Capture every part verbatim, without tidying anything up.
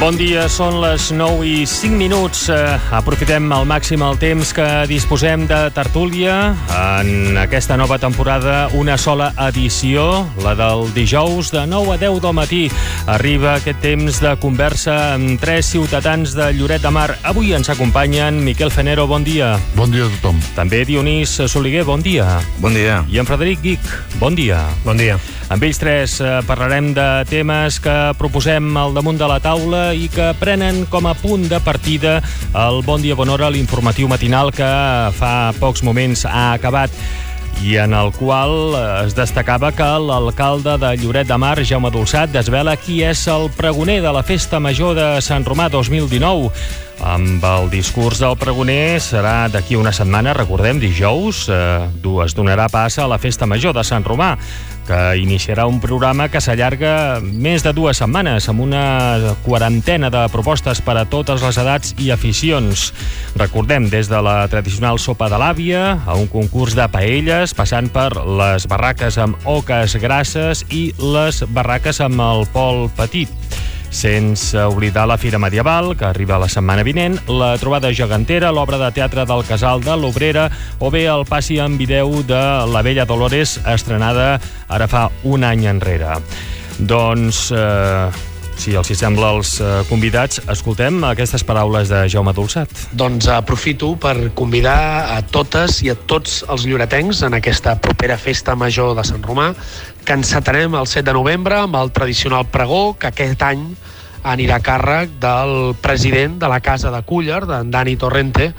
Bon dia, són les nou i cinc minuts. Aprofitem al màxim el temps que disposem de tertúlia. En aquesta nova temporada, una sola edició, la del dijous de nou a deu del matí. Arriba aquest temps de conversa amb tres ciutadans de Lloret de Mar. Avui ens acompanyen Miquel Fenero, bon dia. Bon dia a tothom. També Dionís Soliguer, bon dia. Bon dia. I en Frederic Guic, bon dia. Bon dia. Amb ells tres eh, parlarem de temes que proposem al damunt de la taula i que prenen com a punt de partida el Bon Dia Bon Hora, l'informatiu matinal que fa pocs moments ha acabat i en el qual es destacava que l'alcalde de Lloret de Mar, Jaume Dolçat, desvela qui és el pregoner de la Festa Major de Sant Romà dos mil dinou. Amb el discurs del pregoner serà d'aquí una setmana, recordem, dijous, eh, es donarà pas a la Festa Major de Sant Romà, que iniciarà un programa que s'allarga més de dues setmanes, amb una quarantena de propostes per a totes les edats i aficions. Recordem, des de la tradicional sopa de l'àvia, a un concurs de paelles, passant per les barraques amb oques grasses i les barraques amb el pol petit. Sense oblidar la Fira Medieval, que arriba la setmana vinent, la trobada gegantera, l'obra de teatre del Casal de l'Obrera o bé el passi en vídeo de La Bella Dolores, estrenada ara fa un any enrere. Doncs, eh, si els hi sembla als eh, convidats, escoltem aquestes paraules de Jaume Dolçat. Doncs aprofito per convidar a totes i a tots els lloretencs en aquesta propera Festa Major de Sant Romà, que encetarem el set de novembre amb el tradicional pregó, que aquest any anirà a càrrec del president de la Casa de Cúller, d'en Dani Torrente,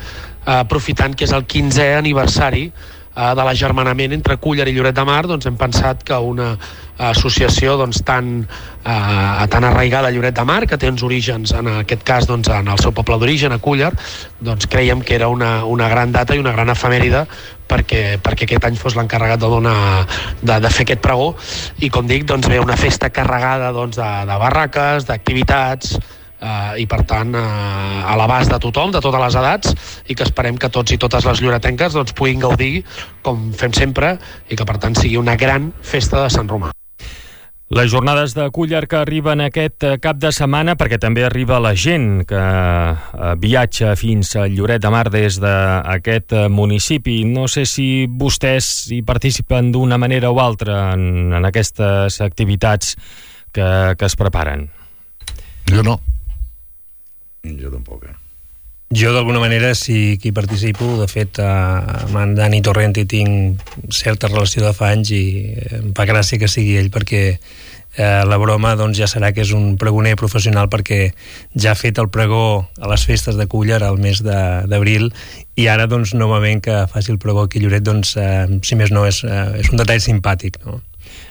aprofitant que és el quinzè aniversari de l'agermanament entre Cúller i Lloret de Mar. Doncs hem pensat que una associació doncs, tan, eh, tan arraigada a Lloret de Mar, que té uns orígens, en aquest cas doncs, en el seu poble d'origen, a Cúller, doncs creiem que era una, una gran data i una gran efemèride perquè, perquè aquest any fos l'encarregat de, donar, de, de fer aquest pregó. I com dic, doncs, ve una festa carregada doncs, de, de barraques, d'activitats, Uh, i per tant uh, a l'abast de tothom, de totes les edats, i que esperem que tots i totes les lloretenques doncs, puguin gaudir com fem sempre i que per tant sigui una gran festa de Sant Romà. Les jornades de Cúller que arriben aquest cap de setmana, perquè també arriba la gent que viatja fins a Lloret de Mar des d'aquest municipi. No sé si vostès hi participen d'una manera o altra en, en aquestes activitats que, que es preparen. Jo no. Jo tampoc, eh? Jo d'alguna manera sí que hi participo. De fet, eh, amb en Dani Torrente tinc certa relació de fa anys i em fa gràcia que sigui ell, perquè eh, la broma doncs, ja serà que és un pregoner professional, perquè ja ha fet el pregó a les festes de Cúller al mes d'abril i ara doncs novament que faci el pregó aquí a Lloret, doncs eh, si més no és, eh, és un detall simpàtic, no?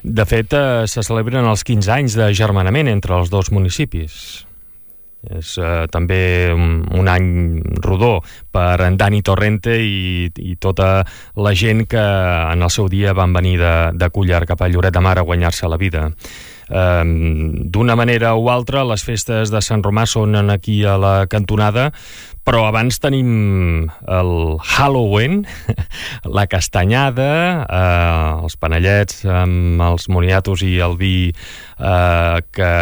De fet, eh, se celebren els quinze anys d'agermanament entre els dos municipis. És eh, també un, un any rodó per en Dani Torrente i, i tota la gent que en el seu dia van venir de, de Cúller cap a Lloret de Mar a guanyar-se la vida. Eh, d'una manera o altra, les festes de Sant Romà són aquí a la cantonada, però abans tenim el Halloween, la castanyada, eh, els panellets amb els moniatos i el vi eh, que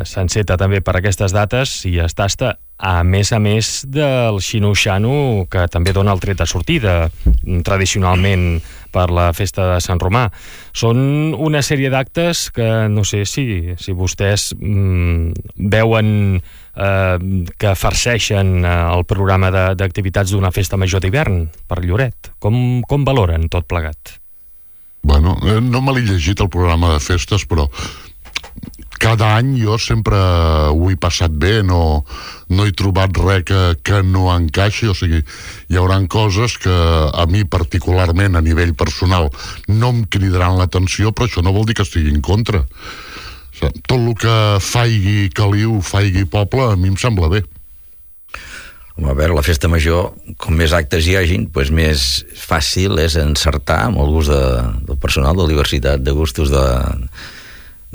s'enceta també per aquestes dates i es tasta, a més a més del xino-xano, que també dona el tret de sortida tradicionalment per la festa de Sant Romà. Són una sèrie d'actes que no sé si, si vostès mm, veuen eh, que farceixen eh, el programa d'activitats d'una festa major d'hivern per Lloret. Com, com valoren tot plegat? Bueno, no me l'he llegit el programa de festes, però cada any jo sempre ho he passat bé, no, no he trobat res que, que no encaixi. O sigui, hi haurà coses que a mi particularment a nivell personal no em cridaran l'atenció, però això no vol dir que estigui en contra. O sigui, tot el que faigui Caliu, faigui poble, a mi em sembla bé. A veure, la festa major, com més actes hi hagin, doncs més fàcil és encertar amb el gust de, del personal, de la diversitat de gustos de,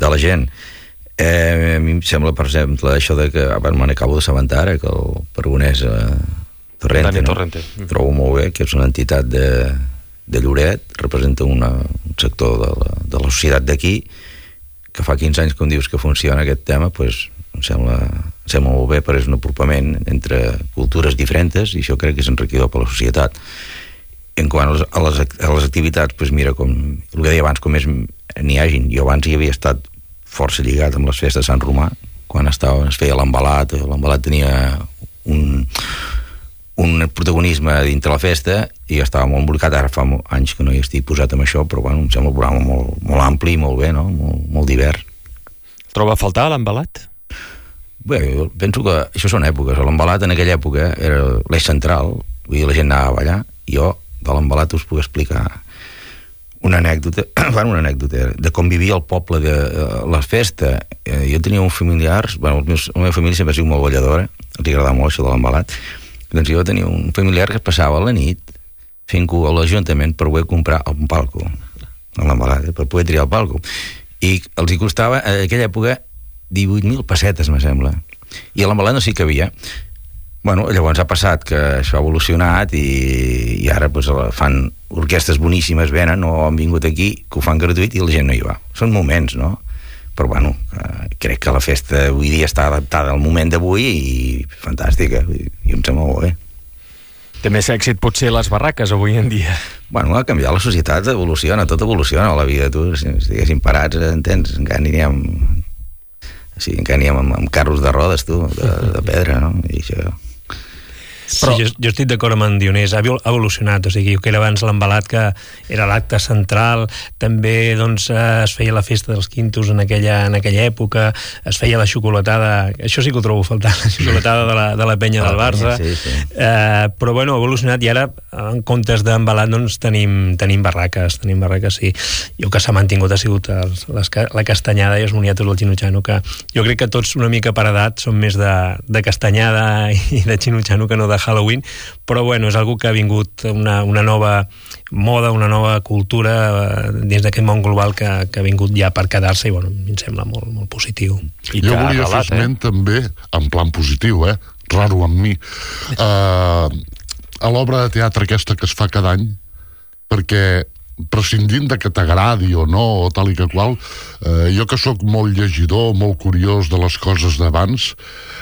de la gent. Eh, a mi em sembla, per exemple, això de que, bueno, me n'acabo d'assabentar ara, que el pregoner és eh, Torrente, no? Torrente. Trobo molt bé que és una entitat de, de Lloret, representa una, un sector de la, de la societat d'aquí, que fa quinze anys que em dius que funciona aquest tema, doncs em sembla em sembla molt bé, però és un apropament entre cultures diferents i això crec que és enriquidor per la societat. En quant a les, a les, a les activitats, doncs mira, com el que deia abans, com més n'hi hagin. Jo abans hi havia estat força lligat amb les festes de Sant Romà, quan estava, es feia l'embalat, l'embalat tenia un... un protagonisme dintre la festa i estava molt embolicat. Ara fa anys que no hi estic posat amb això, però bueno, em sembla un programa molt, molt ampli i molt bé, no? Molt, molt divers. Troba a faltar l'embalat? Bé, jo penso que això són èpoques. L'embalat en aquella època era l'eix central, vull dir, la gent anava a ballar. Jo de l'embalat us puc explicar una anècdota, bueno, una anècdota de com vivia el poble de la festa. Jo tenia uns familiars, bueno, la meva família sempre ha sigut molt balladora, els agradava molt això de l'embalat. Doncs jo tenia un familiar que es passava a la nit fent cua a l'Ajuntament per poder comprar un palco, a l'embalat, per poder triar el palco. I els hi costava, a aquella època, divuit mil pessetes, me sembla. I a l'embalat no s'hi cabia. Bueno, llavors ha passat que això ha evolucionat i, i ara pues, fan orquestres boníssimes, venen o han vingut aquí, que ho fan gratuït i la gent no hi va. Són moments, no? Però bueno, eh, crec que la festa avui dia està adaptada al moment d'avui i fantàstica, i em sembla molt bé. Té més èxit potser les barraques avui en dia. Bueno, ha canviat la societat, evoluciona, tot evoluciona a la vida, tu, si estiguessin parats, entens, encara aniríem, sí, encara aniríem amb, amb carros de rodes, tu, de, de pedra, no? I això... Però... Sí, jo, jo estic d'acord amb en Dionís, ha evolucionat, o sigui, que era abans l'embalat que era l'acte central, també doncs, es feia la festa dels quintos en aquella, en aquella època, es feia la xocolatada, això sí que ho trobo a faltar, la xocolatada de la, de la penya del Barça, sí, sí. Eh, però bueno, ha evolucionat i ara en comptes d'embalat doncs tenim, tenim barraques, tenim barraques, sí. Jo que s'ha mantingut ha sigut els, les, la castanyada i els moniatos del Xinutxano, que jo crec que tots una mica per edat són més de, de castanyada i de Xinutxano que no de Halloween, però bueno, és algo que ha vingut una, una nova moda, una nova cultura eh, dins d'aquest món global que, que ha vingut ja per quedar-se i bueno, em sembla molt, molt positiu. I jo volia relat, fer esment eh? també, en plan positiu, eh? Raro amb mi, uh, a l'obra de teatre aquesta que es fa cada any, perquè prescindint de que t'agradi o no, o tal i que qual, eh, jo que sóc molt llegidor, molt curiós de les coses d'abans,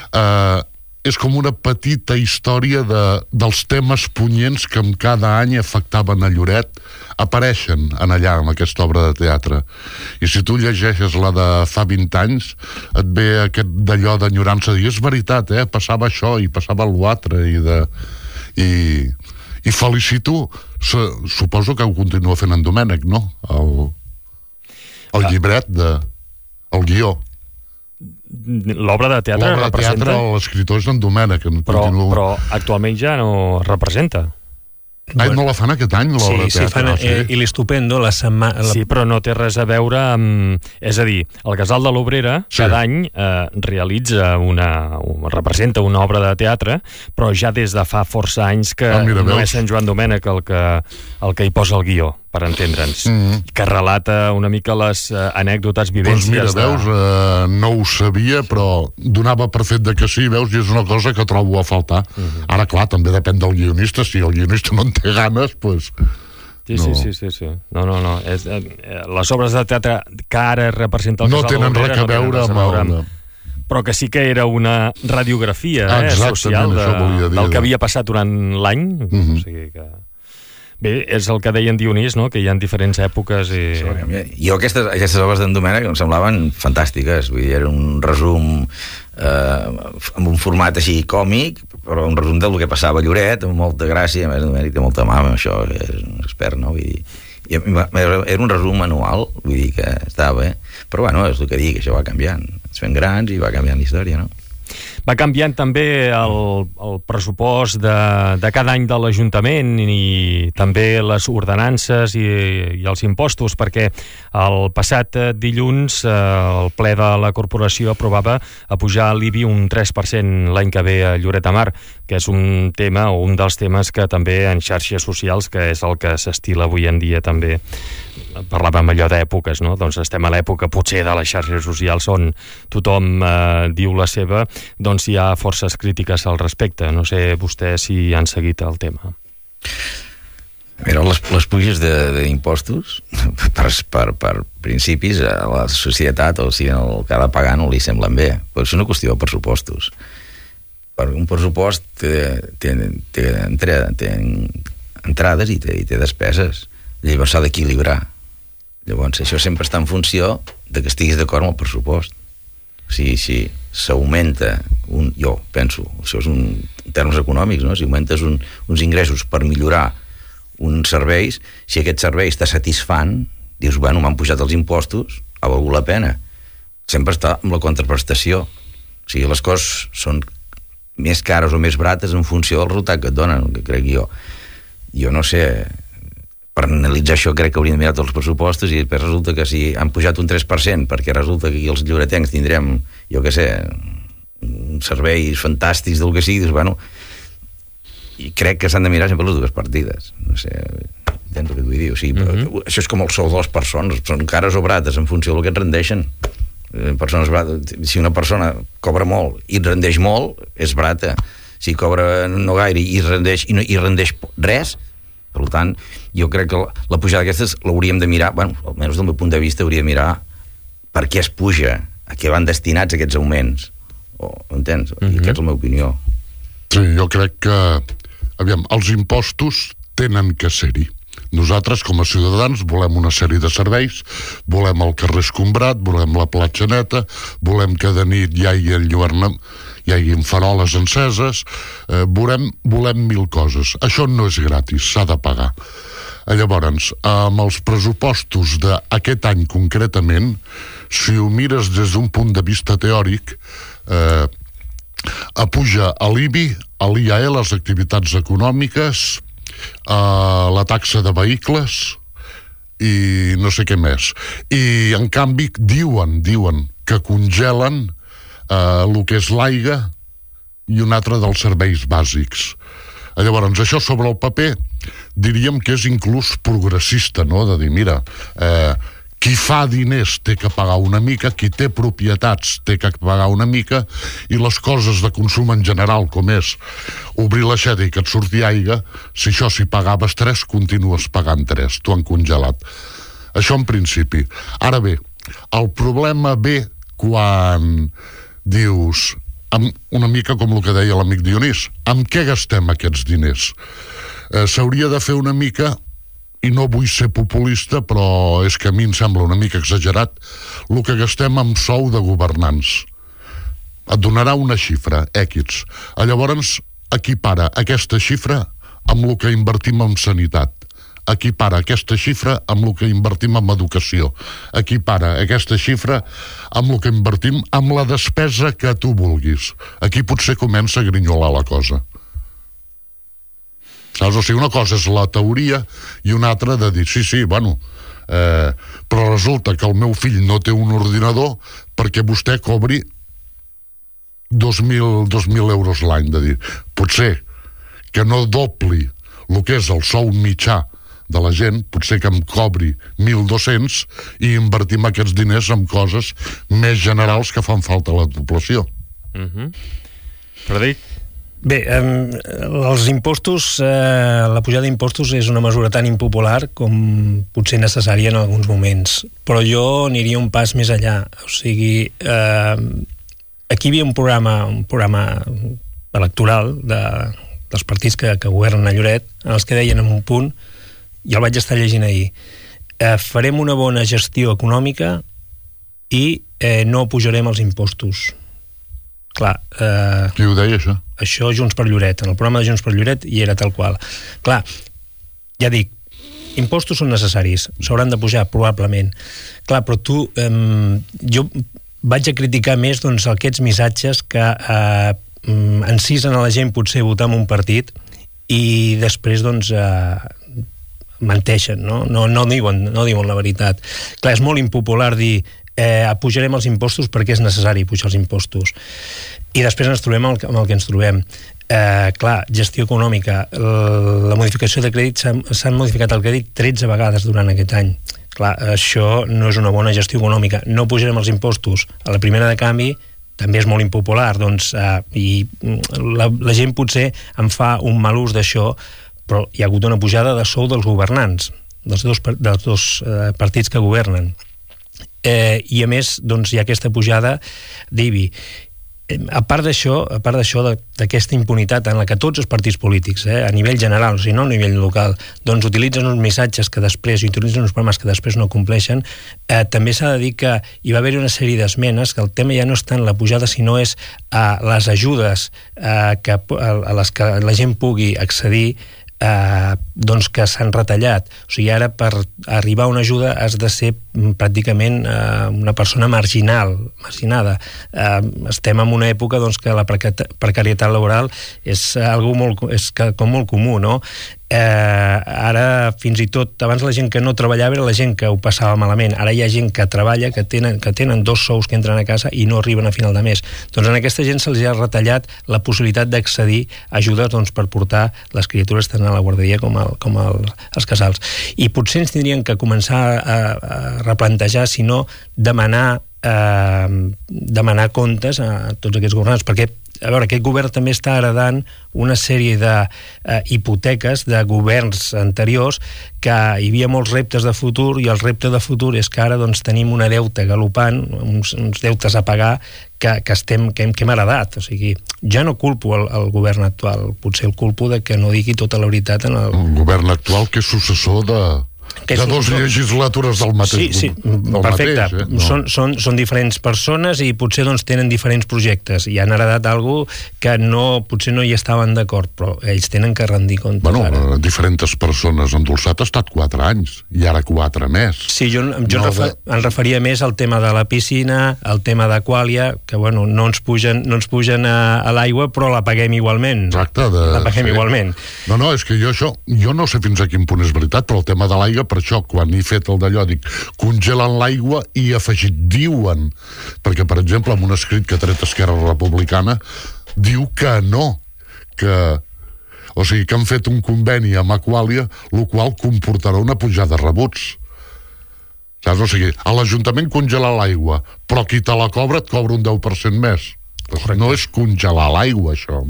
eh, és com una petita història de, dels temes punyents que en cada any afectaven a Lloret, apareixen en allà, en aquesta obra de teatre. I si tu llegeixes la de fa vint anys, et ve aquest d'allò d'enyorança, i és veritat, eh? Passava això i passava l'altre, i de... I, i felicito, suposo que ho continua fent en Domènec, no? El, el llibret de... el guió. L'obra de teatre L'obra de representa... teatre, l'escriptor és en Domènec. Però, però actualment ja no representa. Ai, no la fan aquest any, l'obra sí, de teatre? Sí, fan no, eh, i l'Estupendo la setmana... Sí, però no té res a veure amb... És a dir, el Casal de l'Obrera sí. cada any eh, realitza una... representa una obra de teatre, però ja des de fa força anys que ah, mira, no veus? És Sant Joan Domènec el que, el que hi posa el guió, per entendre'ns, mm-hmm. que relata una mica les uh, anècdotes, vivències... Doncs mira, veus, de... uh, no ho sabia, però donava per fet de que sí, veus, i és una cosa que trobo a faltar. Mm-hmm. Ara, clar, també depèn del guionista, si el guionista no en té ganes, doncs... Sí, no. sí, sí, sí, sí. No, no, no. És, eh, les obres de teatre que ara representa el no Casal de l'Obrera... no tenen res a veure amb... amb... Però que sí que era una radiografia ah, eh, social de, dir, del que havia passat durant l'any. Mm-hmm. O sigui que... Bé, és el que deia en Dionís, no? Que hi ha diferents èpoques i... Sí, jo aquestes, aquestes obres d'en Domènec em semblaven fantàstiques, vull dir, era un resum eh, amb un format així còmic, però un resum del que passava a Lloret, amb molta gràcia, a més en Domènec té molta mà, això és un expert, no? Vull dir, i era un resum anual, vull dir que estava bé, però bueno, és el que dic, això va canviant, es fent grans i va canviant la història, no? Va canviant també el, el pressupost de, de cada any de l'Ajuntament i també les ordenances i, i els impostos, perquè el passat dilluns eh, el ple de la corporació aprovava a pujar l'I B I un tres per cent l'any que ve a Lloret de Mar, que és un tema o un dels temes que també en xarxes socials, que és el que s'estila avui en dia també. Parlàvem allò d'èpoques, no? Doncs estem a l'època potser de les xarxes socials on tothom eh, diu la seva, doncs hi ha forces crítiques al respecte. No sé vostès si han seguit el tema. Mira, les, les puges d'impostos, per, per, per principis, a la societat, o sigui, el que ha de pagar no li semblen bé. Però és una qüestió de pressupostos. Per un pressupost té, té, té, té, té entrades i té, i té despeses. Llavors s'ha d'equilibrar. Llavors, això sempre està en funció de que estiguis d'acord amb el pressupost. O sigui, si s'augmenta, un, jo penso, això és un, en termes econòmics, no? Si augmentes un, uns ingressos per millorar uns serveis, si aquest servei està satisfant, dius, bueno, m'han pujat els impostos, ha valgut la pena. Sempre està amb la contraprestació. O sigui, les coses són més cares o més barates en funció del resultat que et donen, que crec jo. Jo no sé, per analitzar això crec que hauríem de mirar tots els pressupostos i després resulta que si han pujat un tres per cent perquè resulta que aquí els lloretencs tindrem, jo què sé, serveis fantàstics del que sigui, dius, bueno, i crec que s'han de mirar sempre les dues partides. No sé, entens el que vull dir? O sigui, uh-huh. Això és com el sou de les persones, són cares o barates en funció del que et rendeixen. Persones barates, si una persona cobra molt i et rendeix molt, és barata. Si cobra no gaire i rendeix, i no, i rendeix res, per tant, jo crec que la, la pujada d'aquestes l'hauríem de mirar, bueno, almenys del meu punt de vista hauria de mirar per què es puja, a què van destinats aquests augments. O, entens? Uh-huh. I aquesta és la meva opinió. Sí, jo crec que aviam, els impostos tenen que ser-hi. Nosaltres, com a ciutadans, volem una sèrie de serveis, volem el carrer escombrat, volem la platja neta, volem que de nit hi hagi enlluernament, hi hagi faroles enceses, eh, volem, volem mil coses. Això no és gratis, s'ha de pagar. Llavors, amb els pressupostos d'aquest any concretament, si ho mires des d'un punt de vista teòric, eh, apuja a l'I B I, a l'I A E, les activitats econòmiques, a la taxa de vehicles i no sé què més. I, en canvi, diuen, diuen que congelen eh, el que és l'aigua i un altre dels serveis bàsics. Llavors, això sobre el paper diríem que és inclús progressista, no?, de dir, mira, eh, qui fa diners té que pagar una mica, qui té propietats té que pagar una mica, i les coses de consum en general, com és obrir l'aixeta i que et surti aigua, si això si pagaves tres, continues pagant tres, t'ho han congelat. Això en principi. Ara bé, el problema ve quan dius, amb una mica com el que deia l'amic Dionís, amb què gastem aquests diners? Eh, s'hauria de fer una mica, i no vull ser populista, però és que a mi em sembla una mica exagerat, el que gastem amb sou de governants. Et donarà una xifra, X. Llavors, equipara aquesta xifra amb el que invertim en sanitat. Equipara aquesta xifra amb el que invertim en educació. Equipara aquesta xifra amb el que invertim amb la despesa que tu vulguis. Aquí potser comença a grinyolar la cosa. Saps? O sigui, una cosa és la teoria i una altra de dir, sí, sí, bueno, eh, però resulta que el meu fill no té un ordinador perquè vostè cobri dos mil euros l'any, de dir, potser que no dobli el que és el sou mitjà de la gent, potser que em cobri mil dos-cents i invertim aquests diners en coses més generals que fan falta a la població. Uh-huh. Frederic? Bé, eh, els impostos, eh, la pujada d'impostos és una mesura tan impopular com potser necessària en alguns moments, però jo aniria un pas més allà. O sigui, eh, aquí hi havia un programa, un programa electoral de, dels partits que, que governen a Lloret, en els que deien en un punt, i el vaig estar llegint ahir, eh, farem una bona gestió econòmica i eh, no pujarem els impostos. Clar, eh, qui ho deia, això? Això Junts per Lloret, en el programa de Junts per Lloret hi era tal qual. Clar, ja dic, impostos són necessaris, s'hauran de pujar probablement. Clar, però tu, eh, jo vaig a criticar més, doncs, aquests missatges que eh, encisen a la gent potser votar en un partit i després, doncs, eh, menteixen, no? No, no, diuen, no diuen la veritat. Clar, és molt impopular dir eh, pujarem els impostos perquè és necessari pujar els impostos. I després ens trobem amb el, amb el que ens trobem. Eh, clar, gestió econòmica. La modificació de crèdit, s'han modificat el crèdit tretze vegades durant aquest any. Clar, això no és una bona gestió econòmica. No pujarem els impostos. A la primera de canvi també és molt impopular, doncs, eh, i la, la gent potser en fa un mal ús d'això, però hi ha hagut una pujada de sou dels governants, dels dos, dels dos eh, partits que governen. Eh, I a més, doncs, hi ha aquesta pujada d'I B I. A part d'això, a part d'això, d'aquesta impunitat en la que tots els partits polítics, eh, a nivell general, o sigui, no a nivell local, doncs utilitzen uns missatges que després, i utilitzen uns programes que després no compleixen, eh, també s'ha de dir que hi va haver una sèrie d'esmenes, que el tema ja no és tant la pujada, sinó és a les ajudes eh, que, a les que la gent pugui accedir, Eh, doncs que s'han retallat. O sigui, ara per arribar a una ajuda has de ser pràcticament eh, una persona marginal, marginada. Eh, estem en una època doncs, que la precarietat laboral és algo molt, és com molt comú, no? Eh, ara, fins i tot, abans la gent que no treballava era la gent que ho passava malament. Ara hi ha gent que treballa, que tenen, que tenen dos sous que entren a casa i no arriben a final de mes. Doncs a aquesta gent se'ls ha retallat la possibilitat d'accedir a ajudes doncs, per portar les criatures tant a la guarderia com, al, com al, als casals. I potser ens tindrien que començar a, a replantejar, si no, demanar, eh, demanar comptes a tots aquests governants, perquè a veure, aquest govern també està heredant una sèrie de eh, hipoteques de governs anteriors, que hi havia molts reptes de futur, i el repte de futur és que ara doncs, tenim una deuta galopant, uns, uns deutes a pagar que, que, estem, que, hem, que hem heredat. O sigui, ja no culpo el, el govern actual, potser el culpo de que no digui tota la veritat en el... El govern actual que és successor de... Que de dos legislatures del mateix. Sí, sí, perfecte. Mateix, eh? No. Són, són, són diferents persones i potser doncs, tenen diferents projectes i han heredat alguna que no, potser no hi estaven d'acord, però ells tenen que rendir comptes. Bueno, ara. Diferents persones. Endolçat ha estat quatre anys i ara quatre més. Sí, jo, jo no refer, de... em referia més al tema de la piscina, al tema d'Aquàlia, que bueno, no ens pugen, no ens pugen a, a l'aigua, però la paguem igualment. Exacte. De... La paguem sí. igualment. No, no, és que jo això, jo no sé fins a quin punt és veritat, però el tema de l'aigua, per això, quan he fet el d'allò, dic, congelen l'aigua i afegit, diuen, perquè, per exemple, en un escrit que ha tret Esquerra Republicana, diu que no, que... O sigui, que han fet un conveni amb Aquàlia, el qual comportarà una pujada de rebuts. Saps? O sigui, a l'Ajuntament congela l'aigua, però qui te la cobra et cobra un deu per cent més. Correcte. No és congelar l'aigua, això.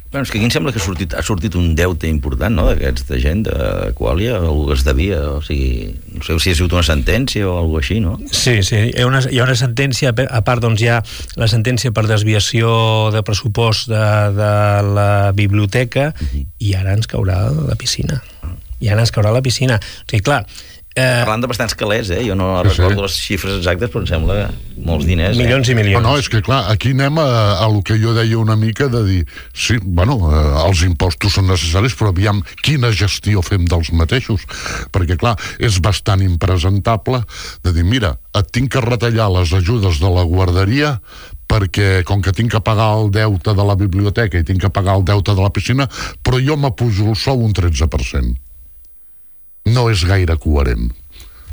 Bueno, és que aquí em sembla que ha sortit, ha sortit un deute important, no?, d'aquesta gent d'Aquàlia, algú que es devia, o sigui, no sé si ha sigut una sentència o alguna així, no? Sí, sí, hi ha una, hi ha una sentència, a part doncs hi ha la sentència per desviació de pressupost de, de la biblioteca, uh-huh. i ara ens caurà la piscina. I ara ens caurà la piscina. O sigui, clar... Eh... Parlant de bastants calés, eh? Jo no sí, recordo sí. les xifres exactes, però em sembla molts diners. Eh? Milions i milions. No, no, és que clar, aquí anem a, a lo que jo deia una mica de dir, sí, bueno, eh, els impostos són necessaris, però aviam quina gestió fem dels mateixos. Perquè clar, és bastant impresentable de dir, mira, et tinc que retallar les ajudes de la guarderia perquè com que tinc que pagar el deute de la biblioteca i tinc que pagar el deute de la piscina, però jo m'apujo el sou un tretze per cent. No és gaire coherent.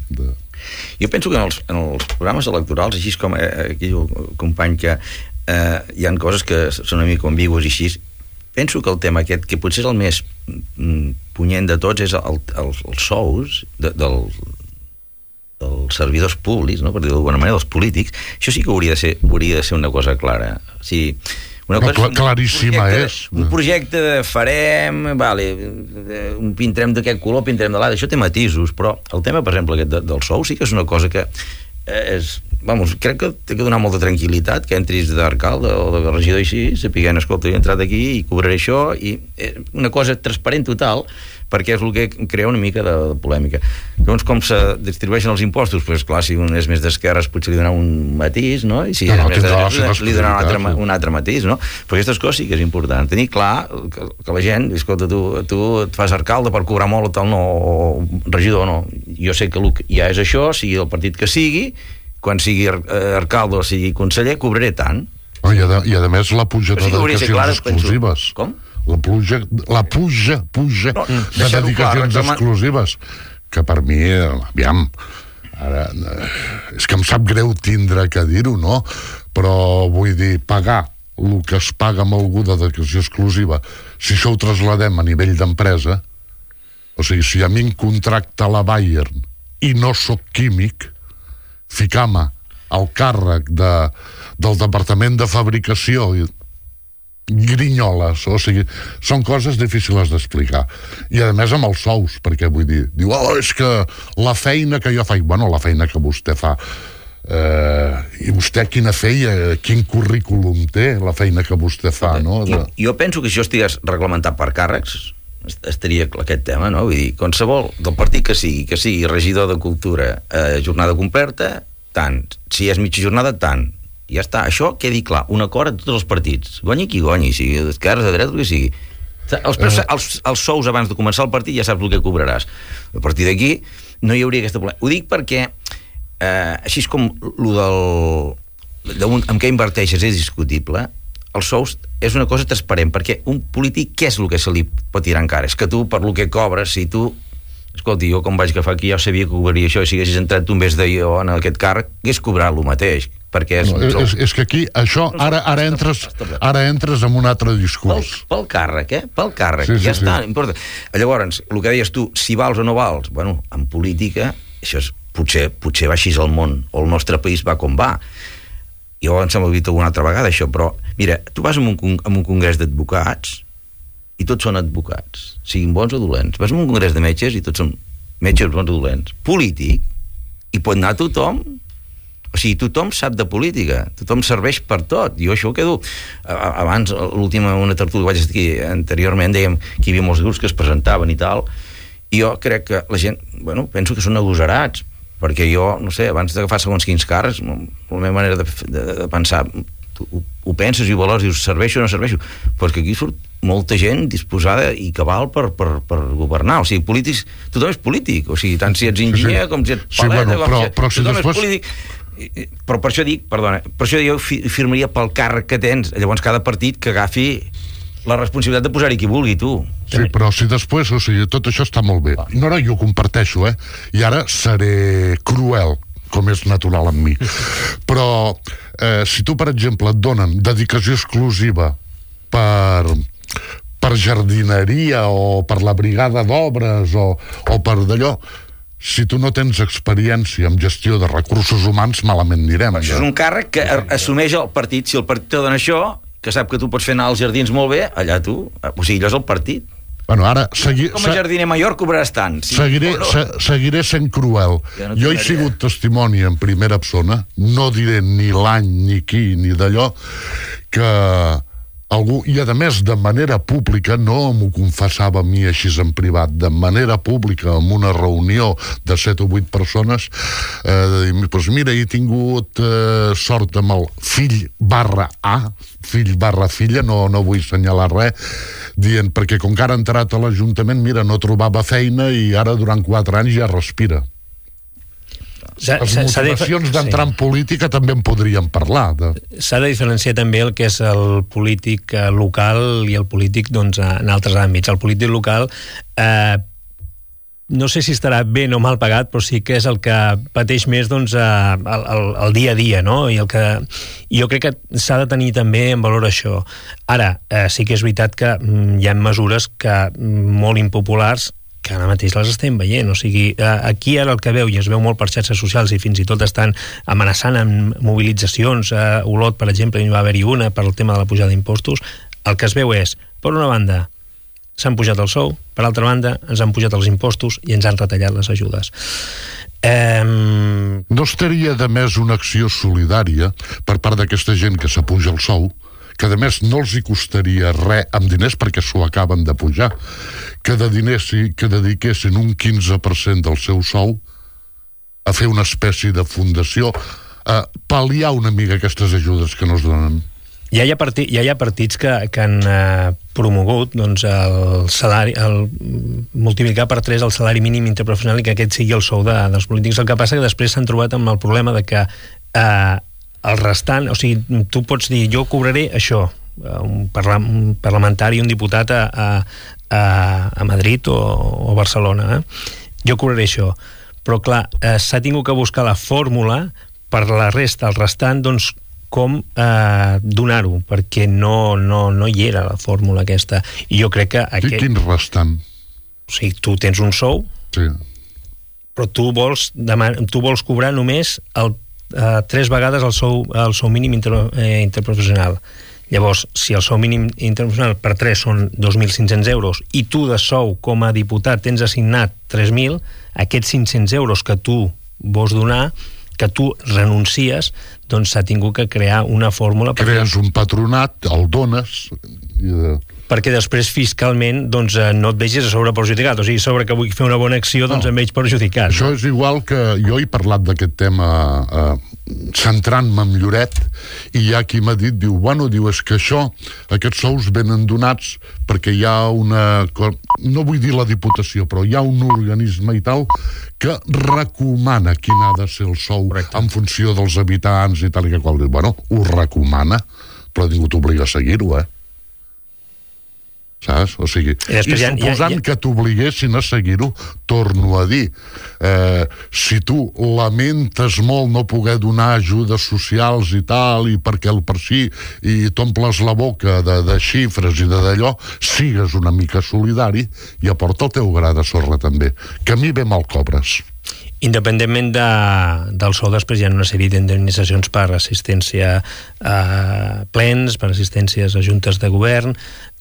De... Jo penso que en els, en els programes electorals, així com eh, aquí el company que eh, hi ha coses que són una mica ambigües i així, penso que el tema aquest, que potser és el més mm, punyent de tots, és el, el, els sous de, del, dels servidors públics, no? Per dir d'alguna manera, dels polítics. Això sí que hauria de ser, hauria de ser una cosa clara. O sigui, una cosa, no, claríssima un és. Un projecte de farem, vale, un pintarem d'aquest color, pintarem de l'altre, això té matisos, però el tema, per exemple, aquest de, del sou sí que és una cosa que és, vamos, crec que té que donar molta tranquil·litat que entris d'alcalde o de regidor així, sapiguent, escolta, he entrat aquí i cobraré això, i una cosa transparent total, perquè és el que crea una mica de, de polèmica. Llavors, com se distribueixen els impostos? Doncs, clar, si un és més d'esquerres potser li donarà un matís, no? I si no, no, és més de drets, li donarà un altre, un altre matís, no? Però aquestes coses sí que és important. Tenir clar que, que la gent, escolta, tu, tu et fas alcalde per cobrar molt o tal, no, o regidor, no. Jo sé que el que ja és això, sigui el partit que sigui, quan sigui alcalde o sigui conseller, cobraré tant. Oh, i, a, I a més la puja de sí dedicacions exclusives. Penso. Com? La pluja, la puja, puja no, de dedicacions clar, exclusives, que per mi, aviam, ara, és que em sap greu tindre que dir-ho, no? Però vull dir, pagar el que es paga amb algú de dedicació exclusiva, si això ho trasladem a nivell d'empresa, o sigui, si a mi em contracta la Bayern i no sóc químic, ficar-me al càrrec de, del departament de fabricació i grinyoles, o sigui, són coses difícils d'explicar. I a més amb els sous, perquè vull dir, diu, oh, és que la feina que jo faig, bueno, la feina que vostè fa, eh, i vostè quina feia, quin currículum té, la feina que vostè fa, no? Jo, jo penso que si jo estigués reglamentat per càrrecs, estaria aquest tema, no? Vull dir, qualsevol del partit que sigui, que sigui regidor de cultura, eh, jornada completa, tant. Si és mitja jornada, tant. Ja està, això quedi clar, un acord a tots els partits, guanyi qui guanyi, sigui d'esquerres, de dreta, el que sigui. Els, preus, els, els sous abans de començar el partit ja saps el que cobraràs. A partir d'aquí no hi hauria aquesta problema. Ho dic perquè eh, així és com lo del de un, amb què inverteixes és discutible. Els sous és una cosa transparent, perquè un polític què és el que se li pot tirar encara? És que tu, per lo que cobres, si tu escolti, jo com vaig agafar aquí ja sabia que cobraria això, i si haguessis entrat un mes de jo en aquest càrrec, hagués cobrat el mateix, perquè és... No, és, és que aquí, això, ara, ara, entres, ara entres en un altre discurs. Pel, pel càrrec, eh? Pel càrrec, sí, sí, ja sí. està, importa. Llavors, el que deies tu, si vals o no vals, bueno, en política, això és, potser, potser va així el món, o el nostre país va com va. Jo em sembla dit alguna altra vegada, això, però, mira, tu vas a un, a un congrés d'advocats, i tots són advocats, siguin bons o dolents. Vas a un congrés de metges i tots són metges bons o dolents. Polític, i pot anar tothom, o sigui, tothom sap de política, tothom serveix per tot. Jo això ho quedo... Abans, l'última, una tertúlia que vaig estar aquí anteriorment, dèiem que hi havia molts grups que es presentaven i tal, i jo crec que la gent, bueno, penso que són agosarats, perquè jo, no sé, abans d'agafar segons quins càrrecs, la meva manera de, de, de pensar, tu ho, ho penses i ho valors, dius, serveixo o no serveixo, perquè aquí surt molta gent disposada i cabal per, per, per governar. O sigui, polítics, tothom és polític, o sigui, tant si ets enginyer sí, com si ets paleta, sí, bueno, però, com si, però si tothom després... és polític. Però per això dic, perdona, per això jo firmaria pel càrrec que tens, llavors cada partit que agafi la responsabilitat de posar-hi qui vulgui, tu. Sí, però si després, o sigui, tot això està molt bé. No, no, jo ho comparteixo, eh? I ara seré cruel, com és natural en mi. Però eh, si tu, per exemple, et donen dedicació exclusiva per, per jardineria o per la brigada d'obres o, o per d'allò, si tu no tens experiència en gestió de recursos humans, malament anirem. Això és un càrrec que assumeix el partit. Si el partit te dona això, que sap que tu pots fer anar als jardins molt bé, allà tu, o sigui, allò és el partit. Bueno, ara... Segui, com a jardiner major cobraràs tant. Sí, seguiré, no? se, seguiré sent cruel. Ja no jo he sigut testimoni en primera persona, no diré ni l'any, ni qui, ni d'allò, que algú, i a més de manera pública, no m'ho confessava a mi així en privat, de manera pública, en una reunió de set o vuit persones, eh, de dir, pues mira, he tingut eh, sort amb el fill barra A, fill barra filla, no, no vull assenyalar res, dient, perquè com que ara ha entrat a l'Ajuntament, mira, no trobava feina i ara durant quatre anys ja respira. Les motivacions d'entrar en política també en podríem parlar. De... S'ha de diferenciar també el que és el polític local i el polític doncs, en altres àmbits. El polític local eh, no sé si estarà ben o mal pagat, però sí que és el que pateix més doncs, el, el, el dia a dia, no? I el que, jo crec que s'ha de tenir també en valor això. Ara, eh, sí que és veritat que mm, hi ha mesures que molt impopulars que ara mateix les estem veient, o sigui, aquí ara el que veu, i es veu molt per xarxes socials i fins i tot estan amenaçant amb mobilitzacions, a Olot, per exemple, hi va haver-hi una per al tema de la pujada d'impostos, el que es veu és, per una banda, s'han pujat el sou, per altra banda, ens han pujat els impostos i ens han retallat les ajudes. Um... No estaria de més una acció solidària per part d'aquesta gent que s'apuja el sou, que a més no els hi costaria res amb diners perquè s'ho acaben de pujar, que, de diners, que dediquessin un quinze per cent del seu sou a fer una espècie de fundació, a pal·liar una mica aquestes ajudes que no es donen. Ja hi ha, partit, ja hi ha partits que, que han eh, promogut doncs, el salari, el, multiplicar per tres el salari mínim interprofessional i que aquest sigui el sou de, dels polítics. El que passa que després s'han trobat amb el problema de que eh, el restant, o sigui, tu pots dir jo cobraré això, un, parla, un parlamentari, un diputat a, a, a Madrid o, o Barcelona, eh? Jo cobraré això, però clar, eh, s'ha tingut que buscar la fórmula per la resta, el restant, doncs com eh, donar-ho, perquè no, no, no hi era la fórmula aquesta, i jo crec que aquest... I quin restant? O sigui, tu tens un sou, sí, però tu vols, deman... tu vols cobrar només el Uh, tres vegades el sou, el sou mínim inter, eh, interprofessional. Llavors, si el sou mínim interprofessional per tres són dos mil cinc-cents euros i tu de sou com a diputat tens assignat tres mil, aquests cinc-cents euros que tu vols donar, que tu renuncies, doncs s'ha tingut que crear una fórmula... Crees un patronat, el dones... I de... perquè després fiscalment doncs, no et vegis a sobre perjudicat, o sigui, sobre que vull fer una bona acció doncs no. Em veig perjudicat. Això és igual que jo he parlat d'aquest tema eh, centrant-me en Lloret, i hi ha qui m'ha dit, diu, bueno, diu, és que això, aquests sous venen donats perquè hi ha una... no vull dir la Diputació, però hi ha un organisme i tal que recomana quin ha de ser el sou. Correcte. En funció dels habitants i tal i que qual. Bueno, ho recomana, però ningú t'obliga a seguir-ho, eh? Saps? O sigui, i, i suposant ja, ja, ja... que t'obliguessin a seguir-ho, torno a dir, eh, si tu lamentes molt no poder donar ajudes socials i tal, i perquè el per si, i t'omples la boca de, de xifres i de d'allò, sigues una mica solidari i aporta el teu gra de sorra també, que a mi bé me'l cobres. Independentment de, del sou, després hi ha una sèrie d'indemnitzacions per assistència a plens, per assistències a juntes de govern.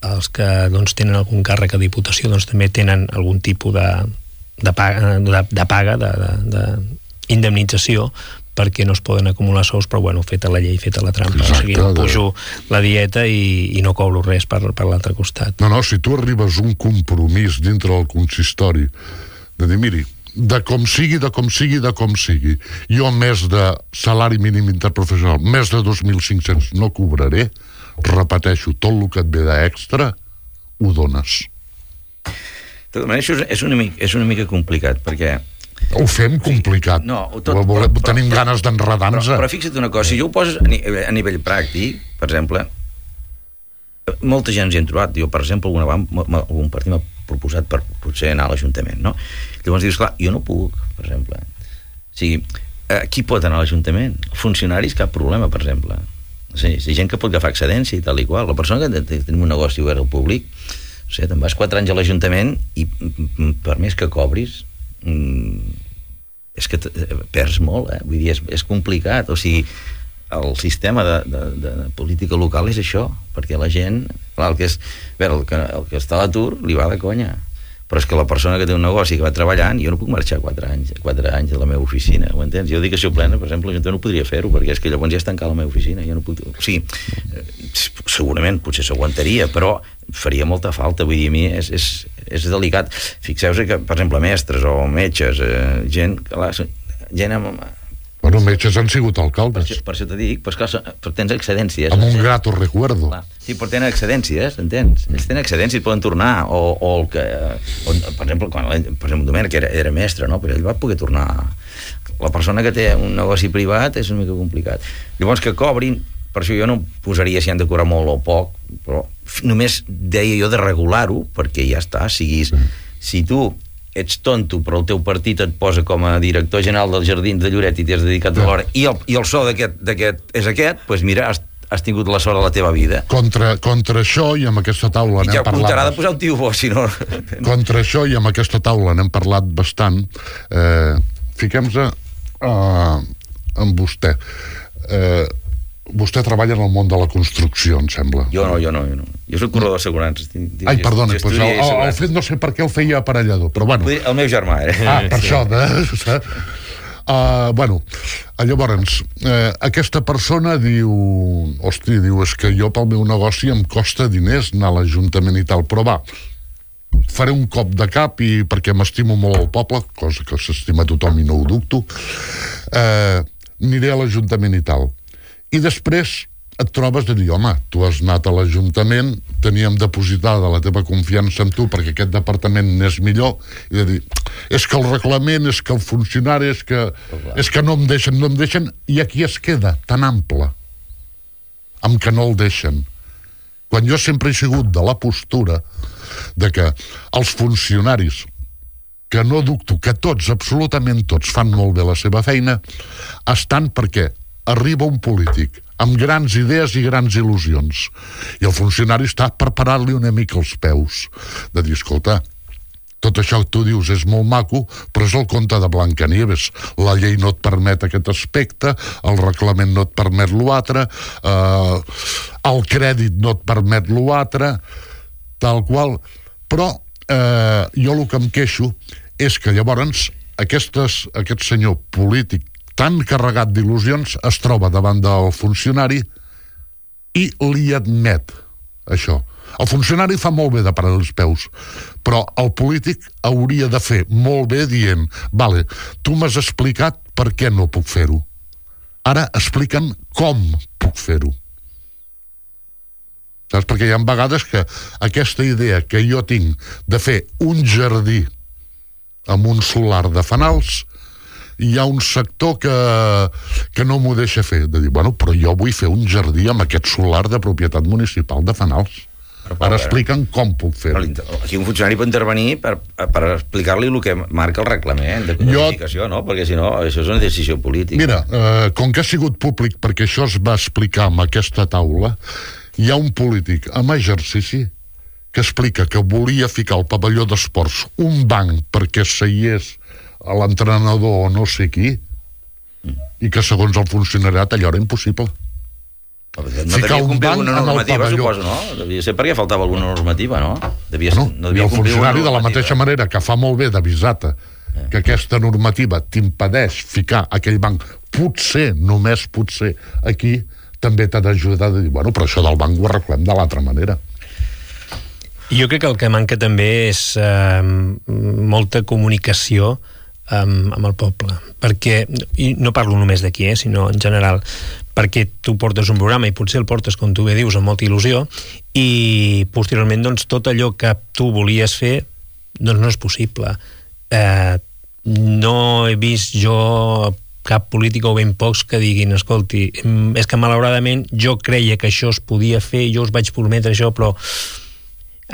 Els que doncs, tenen algun càrrec a Diputació doncs, també tenen algun tipus de, de paga, de, de paga de, de, de indemnització, perquè no es poden acumular sous, però bueno, feta la llei, feta la trampa. Exacte, o sigui, no pujo la dieta i, i no cobro res per, per l'altre costat. No, no, si tu arribes a un compromís dintre del consistori de dir, miri, de com sigui, de com sigui, de com sigui, jo més de salari mínim interprofessional, més de dos mil cinc-cents no cobraré, repeteixo, tot el que et ve d'extra ho dones. De tota manera, això és una mica, és una mica complicat, perquè... Ho fem complicat. No, tot, volem, però, tenim però, ganes d'enredar-nos. Però, però fixa't una cosa, si jo ho poses a, ni, a nivell pràctic, per exemple, molta gent ens hi hem trobat. Jo, per exemple, alguna, algun partit m'ha proposat per potser anar a l'Ajuntament, no? Llavors dius, clar, jo no puc, per exemple. O sigui, eh, qui pot anar a l'Ajuntament? Funcionaris, cap problema, per exemple. O sigui, hi ha gent que pot agafar excedència i tal i qual. La persona que tenim un negoci obert al públic, o sigui, te'n vas quatre anys a l'Ajuntament i per més que cobris és que perds molt, eh? Vull dir, és, és complicat. O sigui, el sistema de, de, de política local és això, perquè la gent, clar, el que és, veure, el que, el que està a l'atur li va de conya, però és que la persona que té un negoci que va treballant, jo no puc marxar quatre anys, quatre anys de la meva oficina, ho entens? Jo dic que si ho plena, per exemple, jo no podria fer-ho, perquè és que llavors ja és tancar la meva oficina, jo no puc... O sigui, segurament, potser s'aguantaria, però faria molta falta, vull dir, a mi és, és, és delicat. Fixeu-vos que, per exemple, mestres o metges, eh, gent, clar, gent amb... Bueno, metges han sigut alcaldes. Per, per això t'ho dic, però, esclar, però tens excedències. Amb un grato recuerdo. Clar. Sí, però tenen excedències, entens? Ells tenen excedències, poden tornar, o, o el que... O, per exemple, quan, per exemple, Domènec era, era mestre, no? Però ell va poder tornar. La persona que té un negoci privat és una mica complicat. Llavors, que cobrin, per això jo no posaria si han de cobrar molt o poc, però només deia jo de regular-ho, perquè ja està, siguis... Si tu ets tonto, però el teu partit et posa com a director general dels Jardins de Lloret i t'has dedicat a l'hora, i el, i el sou d'aquest és aquest, doncs mira, has, has tingut la sort de la teva vida. Contra, contra això, i amb aquesta taula n'hem ja parlat... I ja comptarà de posar un tio bo, si no... Contra això, i amb aquesta taula n'hem parlat bastant, eh, fiquem-se eh, amb vostè. Eh, vostè treballa en el món de la construcció, em sembla. Jo no, jo no, jo no. Jo soc corredor d'assegurances. Ai, perdona, doncs el, el, el fet no sé per què el feia aparellador, però bueno. El meu germà, eh? Ah, per sí. Això, de... Uh, bueno, llavors, eh, aquesta persona diu, hosti, diu, és que jo pel meu negoci em costa diners anar a l'Ajuntament i tal, però va, faré un cop de cap i perquè m'estimo molt el poble, cosa que s'estima tothom i no ho dubto, eh, aniré a l'Ajuntament i tal. I després et trobes de dir, home, tu has anat a l'Ajuntament, teníem depositada la teva confiança en tu perquè aquest departament n'és millor, i de dir, és que el reglament, és que el funcionari, és que, és que no em deixen, no em deixen, i aquí es queda tan ample, amb que no el deixen. Quan jo sempre he sigut de la postura de que els funcionaris, que no dubto que tots, absolutament tots, fan molt bé la seva feina, estan perquè arriba un polític amb grans idees i grans il·lusions i el funcionari està per parar-li una mica els peus de dir, escolta, tot això que tu dius és molt maco, però és el conte de Blancanieves. La llei no et permet aquest aspecte, el reglament no et permet l'altre, eh, el crèdit no et permet l'altre, tal qual. Però eh, jo el que em queixo és que llavors aquestes, aquest senyor polític tan carregat d'il·lusions es troba davant del funcionari i li admet això. El funcionari fa molt bé de parar els peus, però el polític hauria de fer molt bé dient, vale, tu m'has explicat per què no puc fer-ho. Ara explica'm com puc fer-ho. Saps? Perquè hi ha vegades que aquesta idea que jo tinc de fer un jardí amb un solar de fanals, hi ha un sector que, que no m'ho deixa fer, de dir, bueno, però jo vull fer un jardí amb aquest solar de propietat municipal de fanals. Ara expliquen com puc fer-ho. Aquí un funcionari pot intervenir per, per explicar-li el que marca el reglament de codificació, jo... no? Perquè si no, això és una decisió política. Mira, eh, com que ha sigut públic, perquè això es va explicar en aquesta taula, hi ha un polític amb exercici que explica que volia ficar al pavelló d'esports un banc perquè seiés a l'entrenador o no sé qui, mm. i que segons el funcionariat allò era impossible. No devia complir alguna normativa, suposo, no? Devia ser perquè faltava alguna normativa, no? Devia, no, no devia i el funcionari de la normativa. mateixa manera que fa molt bé d'avisar-te eh. que aquesta normativa t'impedeix ficar aquell banc, potser, només potser, aquí, també t'ha d'ajudar a dir, bueno, però això del banc ho arreglem de l'altra manera. Jo crec que el que manca també és eh, molta comunicació amb, amb el poble, perquè, i no parlo només d'aquí, eh, sinó en general, perquè tu portes un programa i potser el portes, com tu bé dius, amb molta il·lusió, i posteriorment doncs, tot allò que tu volies fer doncs no és possible. Eh, no he vist jo cap polític o ben pocs que diguin, escolti, és que malauradament jo creia que això es podia fer, jo us vaig prometre això, però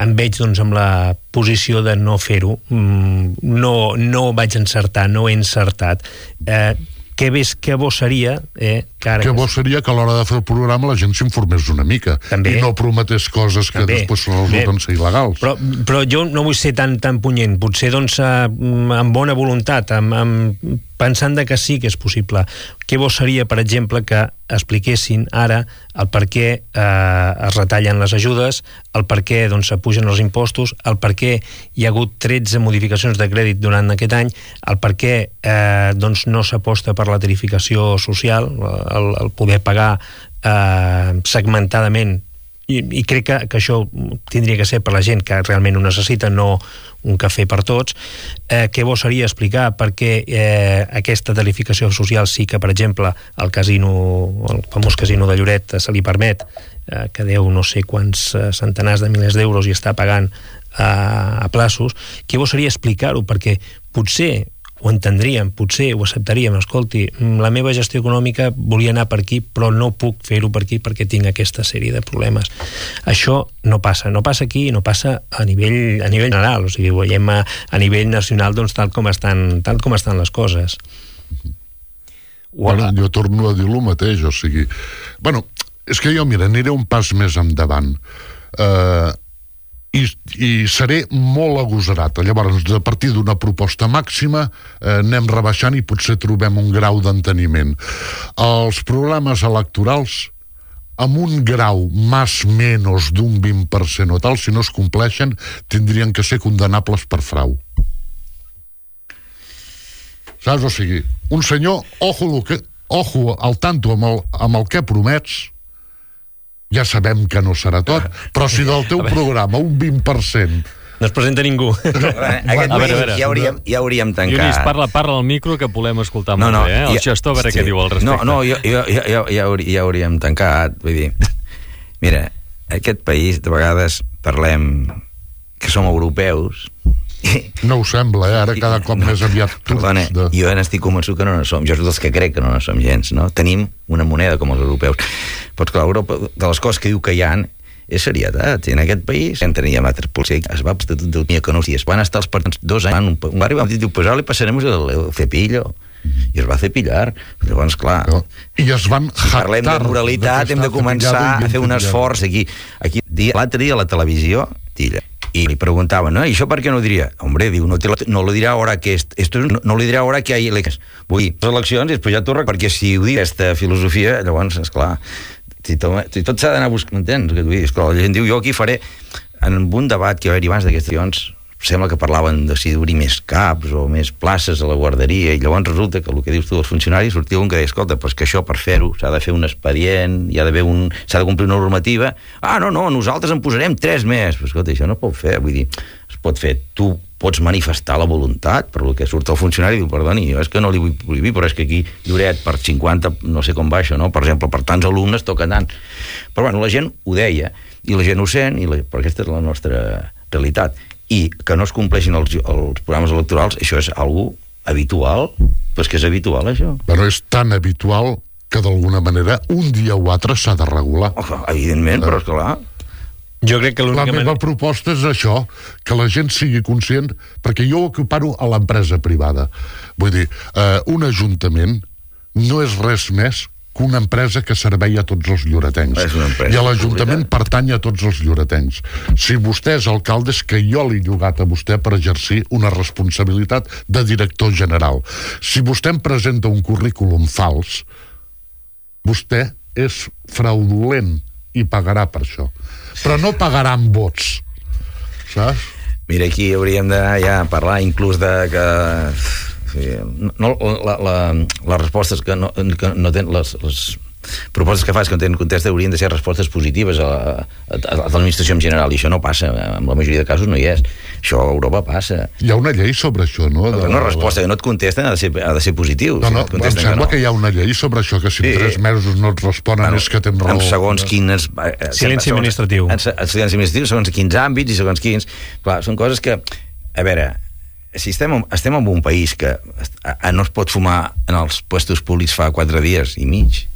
em veig doncs amb la posició de no fer-ho, no, no vaig encertar, no he encertat. Eh, què ves, què bo seria eh, que ara... Que bo seria que a l'hora de fer el programa la gent s'informés una mica també, i no prometés coses que també, després resulten ser il·legals. Però, però jo no vull ser tan, tan punyent, potser doncs amb bona voluntat, amb, amb, pensant de que sí que és possible. Què bo seria, per exemple, que expliquessin ara el per què eh, es retallen les ajudes, el per què doncs, s'apugen els impostos, el per què hi ha hagut tretze modificacions de crèdit durant aquest any, el per què eh, doncs, no s'aposta per la tarificació social, el, el poder pagar eh, segmentadament, i, i crec que, que això tindria que ser per la gent que realment ho necessita, no un cafè per tots. Eh, què bo seria explicar per què eh, aquesta tarificació social sí que, per exemple, el casino, el famós casino de Lloret se li permet, eh, que deu no sé quants eh, centenars de milers d'euros i està pagant eh, a plaços. Què bo seria explicar-ho, perquè potser ho entendríem, potser ho acceptaríem, escolti, la meva gestió econòmica volia anar per aquí, però no puc fer-ho per aquí perquè tinc aquesta sèrie de problemes. Això no passa, no passa aquí i no passa a nivell, a nivell general, o sigui, ho veiem a, a nivell nacional doncs, tal, com estan, tal com estan les coses. Bueno, jo torno a dir el mateix, o sigui... Bueno, és que jo, mira, aniré un pas més endavant. Eh... I, i seré molt agosarat. Llavors, a partir d'una proposta màxima eh, anem rebaixant i potser trobem un grau d'enteniment. Els programes electorals amb un grau més menys d'un vint per cent o tal, si no es compleixen, tindrien que ser condenables per frau. Saps? O sigui, un senyor, ojo, que, ojo al tanto amb el, amb el que promets, ja sabem que no serà tot, però si del teu programa un vint per cent... No es presenta ningú. Aquest a veure, a veure. Ja, hauríem, ja hauríem tancat. Lluís, parla, parla al micro que volem escoltar no, molt no, bé, eh? El ja, gestor, a veure sí. què diu al respecte. No, no, jo, jo, jo, ja, ja hauríem tancat. Vull dir, mira, aquest país, de vegades, parlem que som europeus. No ho sembla, eh? Ara cada cop no, més aviat perdona, de... jo n'estic convençut que no en som. Jo soc dels que crec que no en som gens, no? Tenim una moneda com els europeus. Però clar, Europa, de les coses que diu que hi ha és serietat. I en aquest país en teníem altres policies, es va estar tot economies. Van estar els partits dos anys, un, un barri vam dir, pues ara li passarem el, el cepillo. I es va cepillar. Llavors, clar... No. I es van si parlem de moralitat, hem de començar a fer un esforç aquí. aquí L'altre dia a la televisió, tilla, y le preguntaban, ¿no? ¿Y eso por qué no diría? Hombre, digo, no, te lo, no lo dirà ahora que esto, esto no, no lo dirà ahora que hay eleccions. Vull dir, les eleccions i després ja t'ho recordo, perquè si ho dic aquesta filosofia, llavors, esclar, si tot, si tot s'ha d'anar a buscar, m'entens? Que vull dir, esclar, la gent diu, jo aquí faré, en un debat que va haver-hi abans d'aquestes eleccions, sembla que parlaven de si d'obrir més caps o més places a la guarderia, i llavors resulta que el que dius tu dels funcionaris sortia un que deia, escolta, però és que això per fer-ho s'ha de fer un expedient, hi ha d'haver un, s'ha de complir una normativa. Ah, no, no, nosaltres en posarem tres més. Però escolta, això no es pot fer, vull dir, es pot fer, tu pots manifestar la voluntat, però el que surt el funcionari diu, perdoni, jo és que no li vull prohibir, però és que aquí Lloret per cinquanta, no sé com va això, no? Per exemple, per tants alumnes toca tant. Però bueno, la gent ho deia, i la gent ho sent, i la, però aquesta és la nostra realitat. I que no es compleixin els, els programes electorals, això és algo habitual, però és que és habitual, això. Però és tan habitual que d'alguna manera un dia o altre s'ha de regular. Oh, evidentment, eh. però és clar. Jo crec que la meva man... proposta és això, que la gent sigui conscient, perquè jo ho equiparo a l'empresa privada. Vull dir, eh, un ajuntament no és res més que una empresa que servei a tots els lloretencs. I a l'Ajuntament pertany a tots els lloretencs. Si vostè és alcalde, és que jo l'he llogat a vostè per exercir una responsabilitat de director general. Si vostè em presenta un currículum fals, vostè és fraudulent i pagarà per això. Però no pagarà amb vots. Saps? Mira, aquí hauríem d'anar ja a parlar inclús de que... Sí, no, la, la, les respostes que no, que no tenen les, les propostes que fas que no tenen contesta haurien de ser respostes positives a, a, a l'administració en general, i això no passa, en la majoria de casos no hi és. Això a Europa passa. Hi ha una llei sobre això, no? De, una resposta que no et contesten ha de ser, ha de ser positiu. No, no, si no em sembla que, no. que hi ha una llei sobre això, que si sí. en tres mesos no et responen bueno, és que tens raó. En segons quins... Silenci administratiu. En, en silenci administratiu, segons quins àmbits i segons quins... Clar, són coses que... A veure... Si estem, estem en un país que no es pot fumar en els puestos públics fa quatre dies i mig,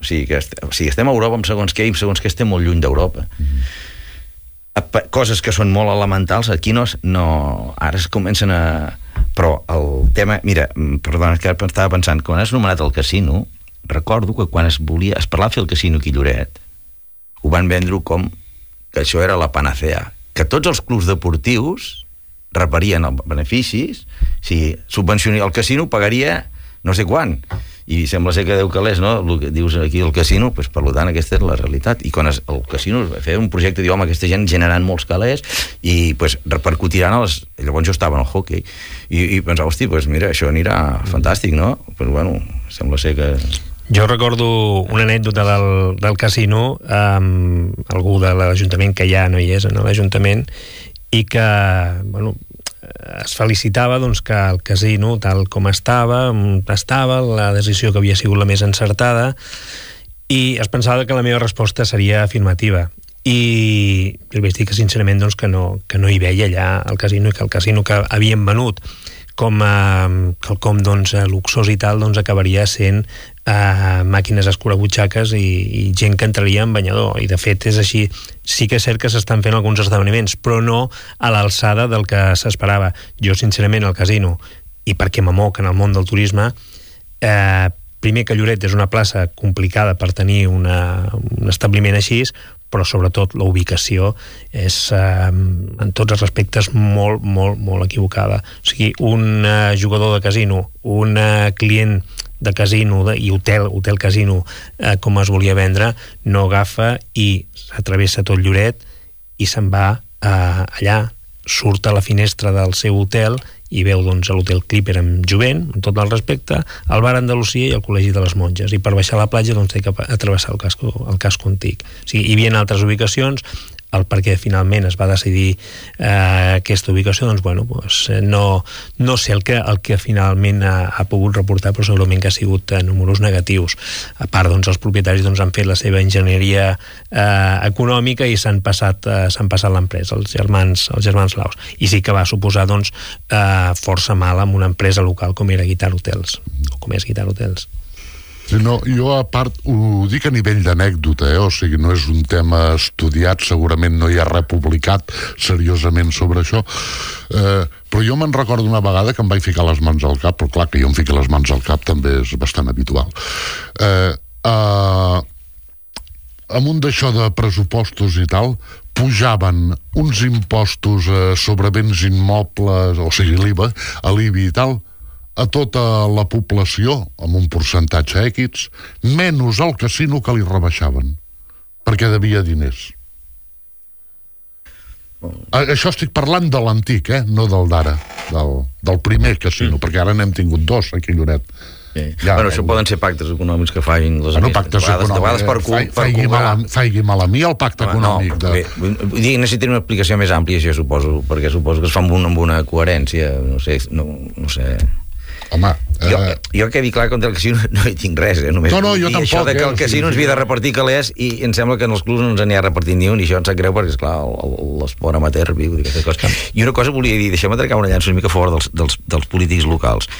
o sigui, que est, o sigui estem a Europa amb segons què i segons què estem molt lluny d'Europa. Mm-hmm. Coses que són molt elementals aquí no, no ara es comencen a... Però el tema, mira, perdona, que estava pensant, quan has nomenat el casino, recordo que quan es volia, es parlava de fer el casino aquí a Lloret, ho van vendre com que això era la panacea, que tots els clubs deportius reparien els beneficis, si subvencionar el casino pagaria no sé quan, i sembla ser que deu calés, no?, el que dius aquí el casino, pues, per tant aquesta és la realitat, i quan es, el casino es va fer un projecte, diu, home, aquesta gent generant molts calés i pues, repercutiran a les... Llavors jo estava en el hockey i, i pensava, hosti, pues, mira, això anirà fantàstic, no? Però pues, bueno, sembla ser que... Jo recordo una anècdota del, del casino, amb algú de l'Ajuntament que ja no hi és en l'Ajuntament, i que, bueno, es felicitava doncs, que el casino, tal com estava, estava, la decisió que havia sigut la més encertada, i es pensava que la meva resposta seria afirmativa. I jo vaig dir que sincerament doncs, que, no, que no hi veia allà el casino, i que el casino que havien venut com a quelcom doncs, luxós i tal, doncs acabaria sent eh, màquines escurabutxaques i, i gent que entraria en banyador, i de fet és així. Sí que és cert que s'estan fent alguns esdeveniments, però no a l'alçada del que s'esperava. Jo sincerament al casino, i perquè m'amoc en el món del turisme, eh, primer que Lloret és una plaça complicada per tenir una, un establiment així, però sobretot la ubicació és eh, en tots els aspectes molt, molt, molt equivocada. O sigui, un eh, jugador de casino, un eh, client de casino de, i hotel, hotel casino eh, com es volia vendre, no agafa i s'atravessa tot Lloret i se'n va eh, allà, surt a la finestra del seu hotel i veu doncs, l'hotel Clipper amb Jovent, amb tot el respecte, el bar Andalusia i el Col·legi de les Monges, i per baixar a la platja doncs, té que atravessar el casco, el casco antic. O sigui, hi havia altres ubicacions, el perquè finalment es va decidir eh, aquesta ubicació, doncs bueno, doncs, no, no sé el que, el que finalment ha, ha pogut reportar, però segurament que ha sigut eh, números negatius. A part, doncs, els propietaris doncs, han fet la seva enginyeria eh, econòmica i s'han passat, eh, s'han passat l'empresa, els germans, els germans Laus. I sí que va suposar doncs, eh, força mal amb una empresa local com era Guitar Hotels, o com és Guitar Hotels. Sí, no, jo a part ho dic a nivell d'anècdota, eh? O sigui, no és un tema estudiat, segurament no hi ha res publicat seriosament sobre això, eh, però jo me'n recordo una vegada que em vaig ficar les mans al cap, però clar que jo em fiqui les mans al cap també és bastant habitual. Eh, eh, amb un d'això de pressupostos i tal, pujaven uns impostos eh, sobre béns immobles, o sigui, l'I V A, a l'I B I i tal, a tota la població, amb un percentatge X, menys al casino que li rebaixaven, perquè devia diners. Això estic parlant de l'antic, eh? No del d'ara, del, del primer casino, mm. perquè ara n'hem tingut dos aquí a Lloret. Sí. Ja, bueno, això el... poden ser pactes econòmics que facin les bueno, pactes vegades, econòmics, per, fa, per faigui, mal, faigui mal a mi el pacte no, econòmic. No, de... bé, vull dir, necessita una explicació més àmplia, això suposo, perquè suposo que es fa amb, un, amb una coherència, no sé, no, no sé... Home, jo, eh... jo quedi clar contra el casino no hi tinc res, eh? Només no, no, jo tampoc, això de que el eh? casino ens havia de repartir calés i em sembla que en els clubs no ens n'hi ha repartit ni un i això ens sap greu perquè, esclar, l'esport amateur viu d'aquestes coses. I una cosa volia dir, deixem-me trecar una llança una mica a favor dels, dels, dels polítics locals.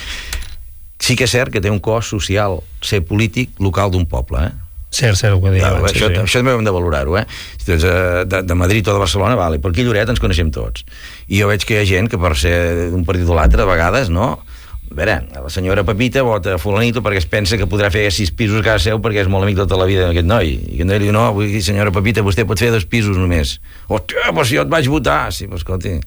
Sí que és cert que té un cost social ser polític local d'un poble, eh? Cert, cert, ho que deia ja, abans. Això, sí. això també hem de valorar-ho, eh? Doncs, de, de Madrid o de Barcelona, vale, per aquí a Lloret ens coneixem tots. I jo veig que hi ha gent que per ser d'un partit o l'altre, a vegades, no? A veure, la senyora Pepita vota a fulanito perquè es pensa que podrà fer sis pisos a casa seu perquè és molt amic tota la vida d'aquest noi. I aquest noi li diu, no, vull dir, senyora Pepita, vostè pot fer dos pisos només. Hòstia, però si jo et vaig votar. Sí, però escolti...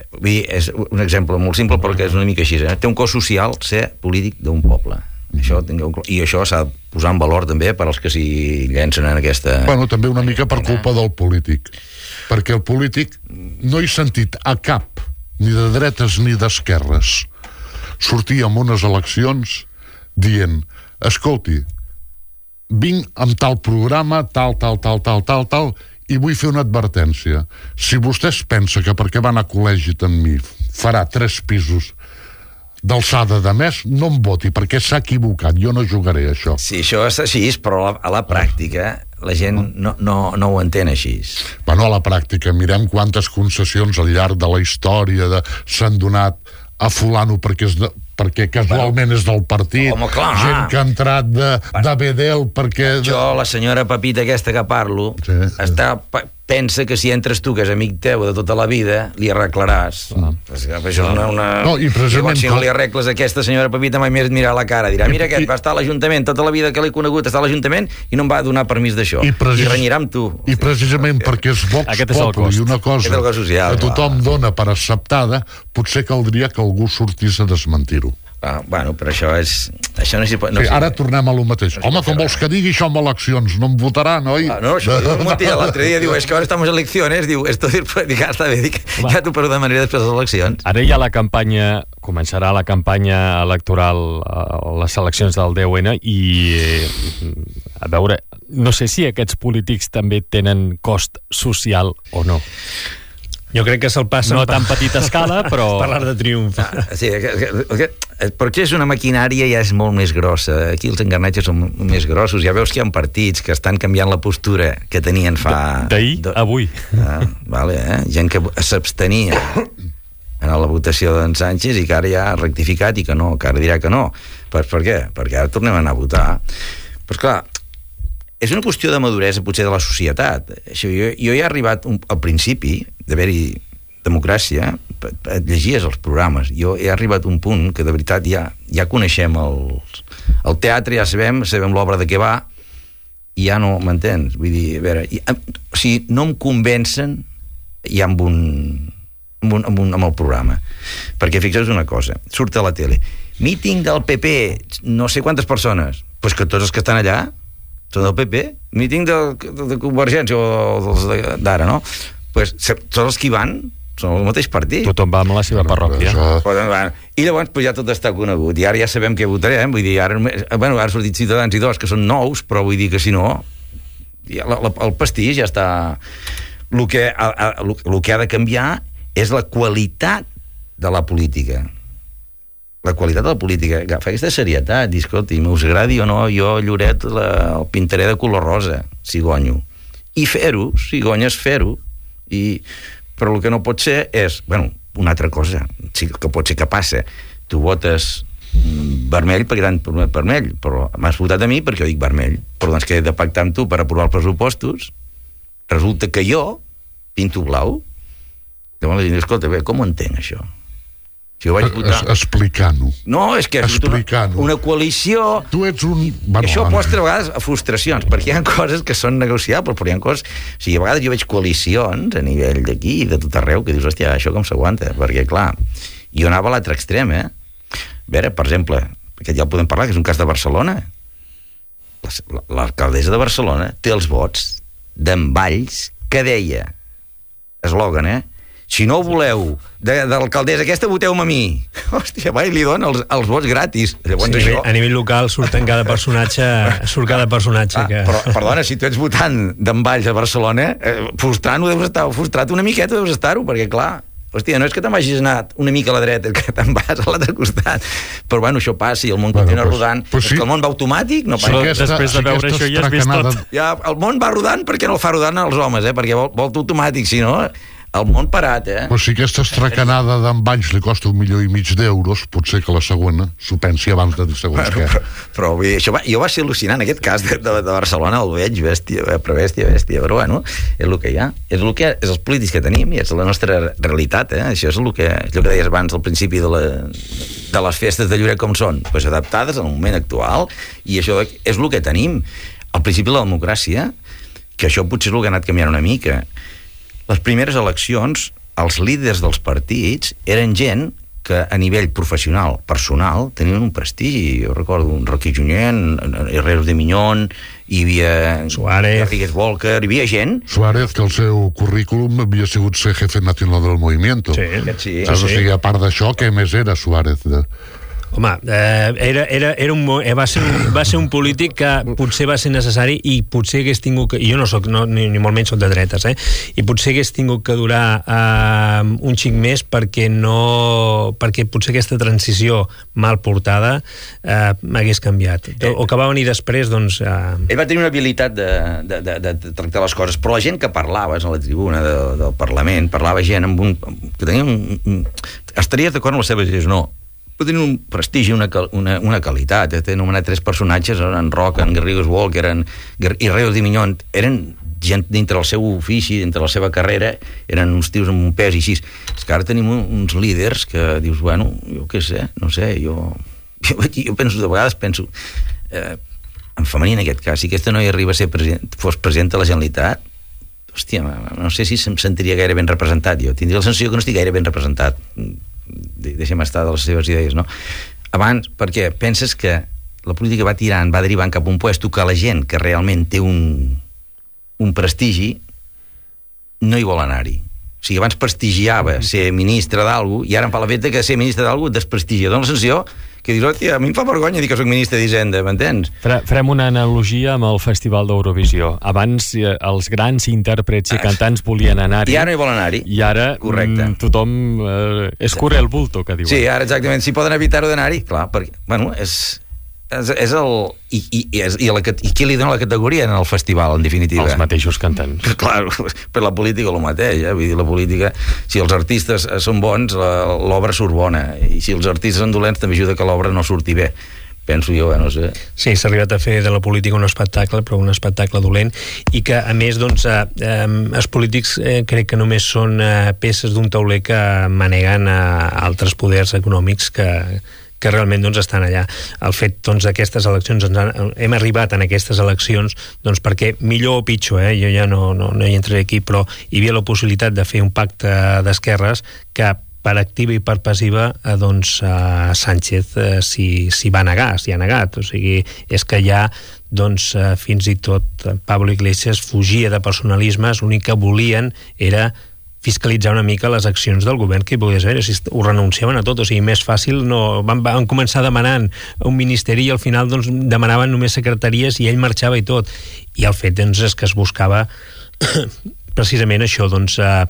Vull dir, és un exemple molt simple perquè és una mica així, eh? Té un cost social ser polític d'un poble. Mm-hmm. Això tingueu... I això s'ha de posar en valor també per als que s'hi llencen en aquesta... Bueno, també una mica per culpa del polític. Perquè el polític no he sentit a cap, ni de dretes ni d'esquerres, sortir en unes eleccions dient, escolti, vinc amb tal programa, tal, tal, tal, tal, tal, tal, i vull fer una advertència. Si vostè es pensa que perquè va anar a col·legi amb mi farà tres pisos d'alçada de més, no em voti, perquè s'ha equivocat, jo no jugaré això. Sí, això és així, però a la, a la pràctica la gent no, no, no ho entén així. Bueno, a la pràctica, mirem quantes concessions al llarg de la història de, s'han donat a fulano perquè, és de, perquè casualment és del partit. Home, clar. Gent que ha entrat de, de Bedel perquè... Jo, la senyora Pepita aquesta que parlo, sí, està, pensa que si entres tu, que és amic teu de tota la vida, li arreglaràs. Ah. Això és una... una... No, i precisament... Llavors, si no li arregles aquesta senyora Pepita, mai més et mirarà la cara. Dirà, mira aquest, va estar a l'Ajuntament, tota la vida que l'he conegut està a l'Ajuntament i no em va donar permís d'això. I, precis... I renyirà amb tu. I precisament perquè és Vox Populi i una cosa social, que tothom clar. Dona per acceptada, potser caldria que algú sortís a desmentir-ho. Ah, bueno, però això és... Això no s'hi pot... No sí, ara tornem a lo mateix. No Home, com vols que digui això amb eleccions? No em votarà, noi? Ah, no, això no, no, l'altre dia diu, és que ara estem en eleccions, diu, esto dir, dic, està bé, dic, ja t'ho perdo de manera després de les eleccions. Ara hi ha la campanya, començarà la campanya electoral a les eleccions del deu ene i, a veure, no sé si aquests polítics també tenen cost social o no. Jo crec que se'l passa... No a tan petita escala, però... Parlar de triomf. Ah, sí, perquè és una maquinària ja és molt més grossa. Aquí els engranatges són més grossos. Ja veus que hi ha partits que estan canviant la postura que tenien fa... D'ahir a avui. Ah, vale, eh? Gent que s'abstenia en la votació d'en Sánchez i que ara ja ha rectificat i que no, que ara dirà que no. Per, per què? Perquè ara tornem a anar a votar. Però clar, és una qüestió de maduresa potser de la societat. Això, jo, jo he arribat un, al principi d'haver-hi democràcia, llegies els programes, jo he arribat a un punt que de veritat ja, ja coneixem el, el teatre, ja sabem, sabem l'obra de què va, i ja no m'entens. Vull dir, a veure, i, o sigui, no em convencen ja amb un, amb, un, amb, un, amb el programa. Perquè fixeu-vos una cosa, surt a la tele, míting del P P, no sé quantes persones, doncs que tots els que estan allà són del P P, míting de, de, de Convergència o dels d'ara, no? Pues, tots els que hi van són el mateix partit. Tothom va amb la seva parròquia. I llavors pues, ja tot està conegut, i ara ja sabem què votarem, vull dir, ara, bueno, ara han sortit Ciutadans i dos, que són nous, però vull dir que si no, ja, la, la, el pastís ja està... El que, a, a, el que ha de canviar és la qualitat de la política. La qualitat de la política, agafa aquesta serietat, dir, escolti, m'us agradi o no, jo Lloret la, el pintaré de color rosa, si guanyo. I fer-ho, si guanyes fer-ho, i... però el que no pot ser és, bueno, una altra cosa, sí que pot ser que passa, tu votes vermell perquè t'han promet vermell, però m'has votat a mi perquè jo dic vermell, però doncs que he de pactar amb tu per aprovar els pressupostos, resulta que jo pinto blau, llavors la gent diu, escolta, bé, com ho entenc això? Si vaig votar... Es, explicant-ho. No, és que una, una coalició... Tu ets un... Bueno, això mostra a vegades a frustracions, perquè hi ha coses que són negociables, però hi ha coses... O sigui, a vegades jo veig coalicions a nivell d'aquí i de tot arreu que dius, hòstia, això com s'aguanta? Perquè, clar, jo anava a l'altre extrem, eh? A veure, per exemple, aquest ja el podem parlar, que és un cas de Barcelona. L'alcaldessa de Barcelona té els vots d'en Valls que deia, eslògan, eh? Si no voleu de, de l'alcaldessa aquesta, voteu-me a mi. Hòstia, va, i li dona els, els vots gratis. Llavors, sí, això... A nivell local surten cada personatge, surt cada personatge. Ah, que... però, perdona, si tu ets votant d'en Valls a Barcelona, eh, frustrant ho deus estar, frustrat una miqueta deus estar-ho, perquè clar, hòstia, no és que te'n vagis anat una mica a la dreta, que te'n vas a l'altre costat. Però bueno, això passa i el món bueno, continua pues, rodant. Pues sí. És que el món va automàtic, no passa. Sí, aquesta, després de sí, veure això ja has vist tot. Ja, el món va rodant perquè no el fa rodant els homes, eh? Perquè vol, vol automàtic, si no... El món parat, eh? Però si aquesta estracanada d'en Valls li costa un milió i mig d'euros, potser que la següent s'ho pensi abans de dir segons bueno, què. Però, però bé, això va, jo va ser al·lucinant, aquest cas de, de, de Barcelona, el veig, bèstia, però bèstia, bèstia, però bueno, és el que hi ha. És el que és els polítics que tenim i és la nostra realitat, eh? Això és el que, és el que deies abans al principi de, la, de les festes de Lloret com són, pues adaptades al moment actual, i això és el que tenim. Al principi la democràcia, que això potser és el que ha anat canviant una mica. Les primeres eleccions, els líders dels partits eren gent que a nivell professional, personal, tenien un prestigi. Jo recordo un Roquí Junyent, Herreros de Miñón, hi havia Suárez, Rodríguez Volker, hi havia gent... Suárez, que el seu currículum havia sigut ser jefe nacional del movimiento. Sí, sí. Saps? O sigui, a part d'això, què més era Suárez? De... Home, eh, era, era, era un, eh, va, ser un, va ser un polític que potser va ser necessari i potser hagués tingut que... Jo no soc, no, ni, ni molt menys soc de dretes, eh? I potser hagués tingut que durar eh, un xic més perquè no... perquè potser aquesta transició mal portada eh, m'hagués canviat. O, o que va venir després, doncs... Eh... Ell va tenir una habilitat de, de, de, de tractar les coses, però la gent que parlava a la tribuna de, del Parlament, parlava gent amb un... que tenia un... un estaries d'acord amb les seves idees, no. Però tenen un prestigi, una, una, una qualitat. He anomenat tres personatges, en Roca, en Garrigues Walker en, i Herreros de Miñón, eren gent dintre del seu ofici, dintre la seva carrera, eren uns tios amb un pes i així. És que ara tenim uns líders que dius, bueno, jo què sé, no sé, jo, jo, jo penso, de vegades penso, eh, en femení en aquest cas, si aquesta noia arriba a ser president, fos president de la Generalitat, hòstia, no sé si em sentiria gaire ben representat jo. Tindria la sensació que no estic gaire ben representat. Deixem estar de les seves idees, no? Abans, perquè penses que la política va tirant, va derivant cap a un puesto que la gent que realment té un, un prestigi no hi vol anar-hi. O sigui, abans prestigiava ser ministre d'algú i ara em fa l'efecte que ser ministre d'algú desprestigia. Dóna la sensació que dius, hòstia, a mi em fa vergonya dir que soc ministre d'Hisenda, m'entens? Farem una analogia amb el Festival d'Eurovisió. Abans eh, els grans intèrprets i cantants volien anar-hi. I ara no hi volen anar-hi. I ara mm, tothom eh, és corre el bulto, que diuen. Sí, ara exactament, si poden evitar-ho d'anar-hi, clar, perquè, bueno, és... És, és el... I, i, i, és, i, la, I qui li dona la categoria en el festival, en definitiva? Els mateixos cantants. Clar, per la política el mateix, eh? Vull dir, la política, si els artistes són bons, l'obra surt bona, i si els artistes són dolents també ajuda que l'obra no surti bé. Penso jo, eh, no sé. Sí, s'ha arribat a fer de la política un espectacle, però un espectacle dolent, i que, a més, doncs, eh, eh, els polítics eh, crec que només són eh, peces d'un tauler que maneguen a altres poders econòmics que que realment doncs, estan allà. El fet doncs, d'aquestes eleccions, ens han, hem arribat en aquestes eleccions doncs, perquè, millor o pitjor, eh, jo ja no, no, no hi entraré aquí, però hi havia la possibilitat de fer un pacte d'esquerres que per activa i per passiva eh, doncs, eh, Sánchez eh, s'hi si va negar, s'hi ha negat. O sigui, és que ja doncs, eh, fins i tot Pablo Iglesias fugia de personalismes, l'únic que volien era fiscalitzar una mica les accions del govern que hi pogués haver, si ho renunciaven a tot, o sigui, més fàcil, no, van, van començar demanant un ministeri i al final doncs, demanaven només secretaries i ell marxava i tot, i el fet doncs, és que es buscava precisament això, doncs, eh,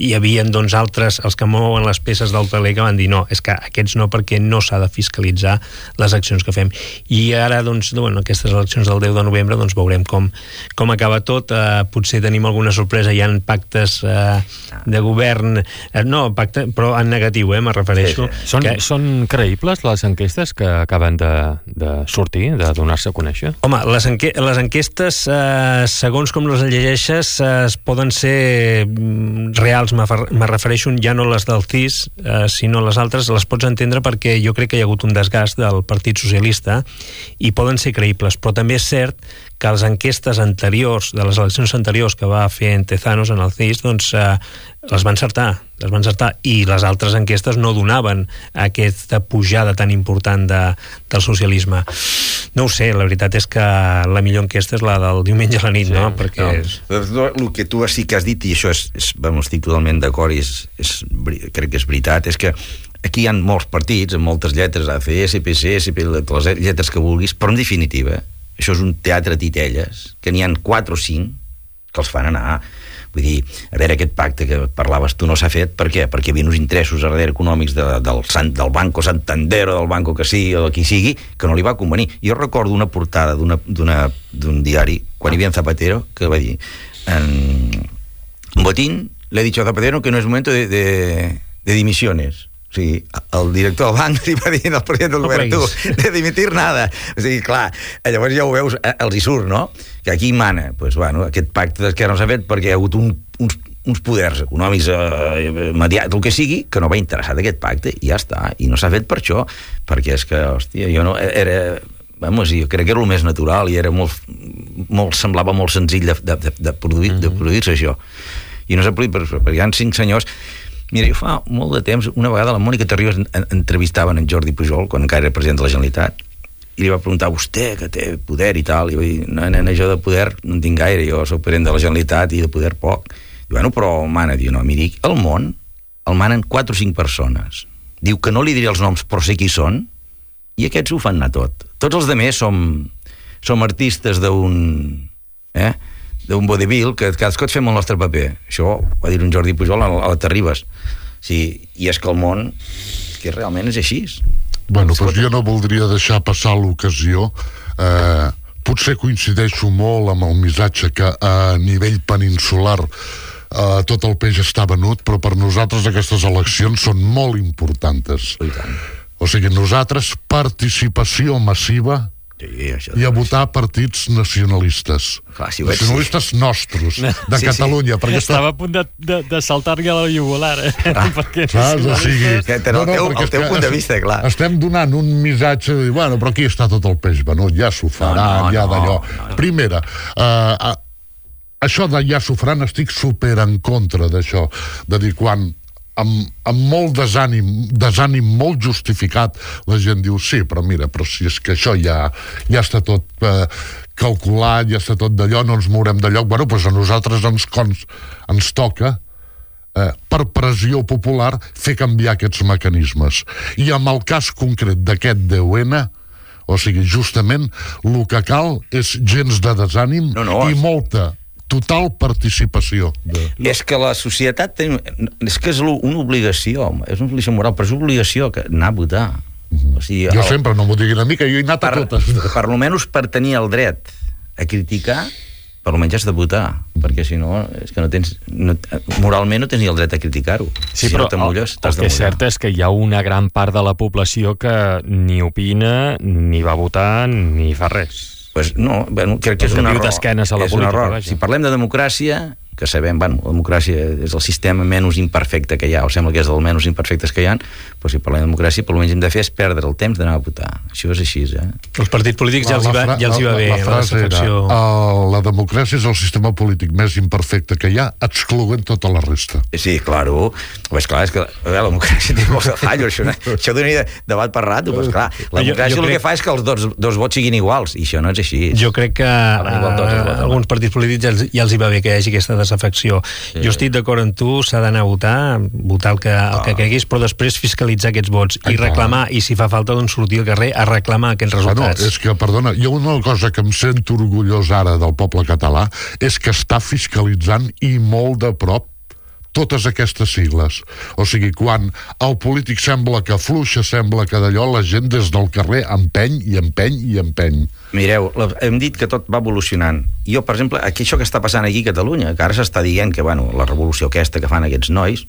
hi havia doncs, altres, els que mouen les peces del taler que van dir no, és que aquests no, perquè no s'ha de fiscalitzar les accions que fem. I ara, doncs, bueno, aquestes eleccions del deu de novembre, doncs veurem com, com acaba tot, eh, potser tenim alguna sorpresa, hi ha pactes eh, de govern, eh, no, pacte, però en negatiu, eh, me refereixo. Sí, sí. Són, que... són creïbles les enquestes que acaben de, de sortir, de donar-se a conèixer? Home, les, enque les enquestes, eh, segons com les llegeixes, eh, les poden ser reals, me refereixo ja no les del C I S, eh, sinó les altres, les pots entendre perquè jo crec que hi ha hagut un desgast del Partit Socialista i poden ser creïbles, però també és cert que les enquestes anteriors, de les eleccions anteriors que va fer en Tezanos en el C I S, doncs eh, les van encertar, les van encertar, i les altres enquestes no donaven aquesta pujada tan important de, del socialisme. No ho sé, la veritat és que la millor enquesta és la del diumenge a la nit, sí, no? Perquè no. És... El que tu sí que has dit, i això és, és bueno, estic totalment d'acord i és, és, crec que és veritat, és que aquí hi ha molts partits, amb moltes lletres, A C S, P C S, les lletres que vulguis, però en definitiva això és un teatre titelles, que n'hi ha quatre o cinc que els fan anar. Vull dir, a veure, aquest pacte que parlaves tu no s'ha fet, per què? Perquè hi havia uns interessos a darrere econòmics de, del, del Banco Santander o del Banco que sigui, o de qui sigui, que no li va convenir. Jo recordo una portada d'un diari, quan hi havia en Zapatero, que va dir en Botín le he dicho a Zapatero que no es momento de, de, de dimisiones. O sigui, el director del banc li va dir al president del govern, tu, de dimitir nada. O sigui, clar, llavors ja ho veus, els hi surt, no? Que aquí mana, pues, bueno, aquest pacte que no s'ha fet perquè hi ha hagut un, uns, uns poders econòmics eh, mediats, el que sigui, que no va interessar d'aquest pacte, i ja està, i no s'ha fet per això, perquè és que, hòstia, jo no... Era... Vamos, jo crec que era el més natural i era molt, molt semblava molt senzill de, de, de, produir, mm-hmm. de produir-se això. I no s'ha produït perquè hi ha cinc senyors. Mira, jo fa molt de temps, una vegada la Mònica Terribas entrevistaven en Jordi Pujol, quan encara era president de la Generalitat, i li va preguntar, vostè, que té poder i tal, i va dir, no, nena, jo de poder no en tinc gaire, jo soc president de la Generalitat i de poder poc. Diu, bueno, però mana, diu, no, miri, el món el manen quatre o cinc persones. Diu que no li diré els noms, però sé qui són, i aquests ho fan anar tot. Tots els demés som, som artistes d'un... Eh? d'un vodevil, que cadascú fem el nostre paper. Això va dir un Jordi Pujol a la Terribas. Sí, i és que el món que realment és així. Bueno, doncs jo no voldria deixar passar l'ocasió. Eh, potser coincideixo molt amb el missatge que a nivell peninsular eh, tot el peix està venut, però per nosaltres aquestes eleccions són molt importants. O sigui, nosaltres participació massiva sí, i a votar partits nacionalistes. Clar, si nacionalistes sí. nostres, de sí, Catalunya. Sí. Perquè estava a punt de, de, de saltar-li a la jugular. Eh? Ah, saps? O sigui, no, no, el teu, el teu punt de vista, clar. Estem donant un missatge de dir, bueno, però aquí està tot el peix venut, ja s'ho faran, no, no, ja d'allò. No, no, no. Primera, uh, uh, això de ja s'ho faran, estic super en contra d'això, de dir, quan amb, amb molt desànim, desànim molt justificat, la gent diu, sí, però mira, però si és que això ja, ja està tot eh, calculat, ja està tot d'allò, no ens mourem de lloc. Bueno, doncs a nosaltres ens, cons, ens toca, eh, per pressió popular, fer canviar aquests mecanismes. I amb el cas concret d'aquest deu ene, o sigui, justament, el que cal és gens de desànim no, no, i molta total participació. De... És que la societat ten... és que és una obligació, és una obligació moral, però és una obligació que anar a votar. Mm-hmm. O sigui, jo el... sempre, no m'ho diguin a mi, que jo he anat per, a totes. Per almenys per tenir el dret a criticar, per almenys has de votar, perquè si no, és que no tens... No, moralment no tens ni el dret a criticar-ho. Sí, si però no te mulles, el, el que és cert és que hi ha una gran part de la població que ni opina, ni va votar, ni fa res. Pues no, bueno, crec que és un error. A la és política, un error. Vaja. Si parlem de democràcia, que sabem, bueno, la democràcia és el sistema menys imperfecte que hi ha, o sembla que és del menys imperfectes que hi ha, però si parlem de democràcia, per almenys hem de fer és perdre el temps d'anar a votar. Això és així, eh? Els partits polítics ja els hi va, ja els hi va bé. La, la frase la era, uh, la democràcia és el sistema polític més imperfecte que hi ha, excloent tota la resta. Sí, claro. Pues clar, és que veure, la democràcia té molts de fallos, això, no? Això donaria debat per rato, pues clar, la democràcia jo, jo el crec... que fa és que els dos, dos vots siguin iguals, i això no és així. Jo crec que a alguns partits polítics ja els, ja els hi va bé que hi hagi aquesta desafecció. Sí. Jo estic d'acord amb tu, s'ha d'anar a votar, votar el que, el que creguis, però després fiscalitzar aquests vots i reclamar, i si fa falta, doncs sortir al carrer a reclamar aquests resultats. Bueno, és que, perdona, hi ha una cosa que em sento orgullós ara del poble català, és que està fiscalitzant i molt de prop totes aquestes sigles. O sigui, quan el polític sembla que afluixa, sembla que d'allò la gent des del carrer empeny i empeny i empeny. Mireu, hem dit que tot va evolucionant. Jo, per exemple, aquí això que està passant aquí a Catalunya, que ara s'està dient que, bueno, la revolució aquesta que fan aquests nois,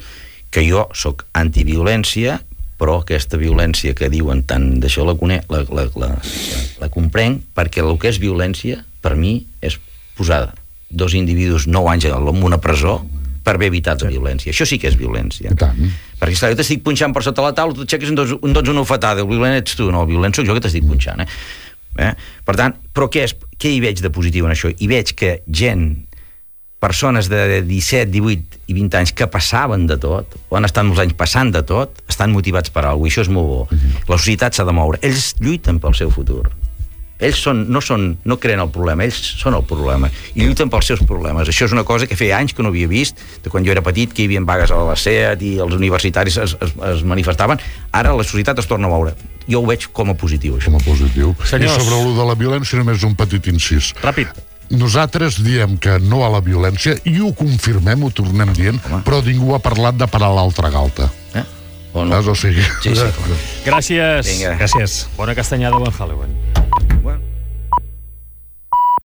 que jo sóc antiviolència, però aquesta violència que diuen tant d'això la, la, la, la, la comprenc, perquè el que és violència, per mi, és posada. dos individus nou anys en una presó per haver evitat la violència. Això sí que és violència. I tant. Perquè, esclar, jo t'estic punxant per sota la taula, tu t'aixeques i em dones una ofetada, el violent ets tu, no, el violent soc jo que t'estic punxant, eh? eh? Per tant, però què, és, què hi veig de positiu en això? Hi veig que gent, persones de disset, divuit i vint anys que passaven de tot, o han estat molts anys passant de tot, estan motivats per alguna cosa, i això és molt bo. Mm-hmm. La societat s'ha de moure. Ells lluiten pel seu futur. Ells són, no, són, no creen el problema, ells són el problema, i lluiten pels seus problemes. Això és una cosa que feia anys que no havia vist, de quan jo era petit, que hi havia vagues a la SEAT i els universitaris es, es, es manifestaven. Ara la societat es torna a moure. Jo ho veig com a positiu, això. Com a positiu. Senyors. I sobre allò de la violència, només un petit incís. Ràpid. Nosaltres diem que no a la violència i ho confirmem, ho tornem dient, home, però ningú ha parlat de parar l'altra galta. Eh? O no? O sigui... Sí, sí. Gràcies. Vinga. Gràcies. Bona castanyada, bon Halloween.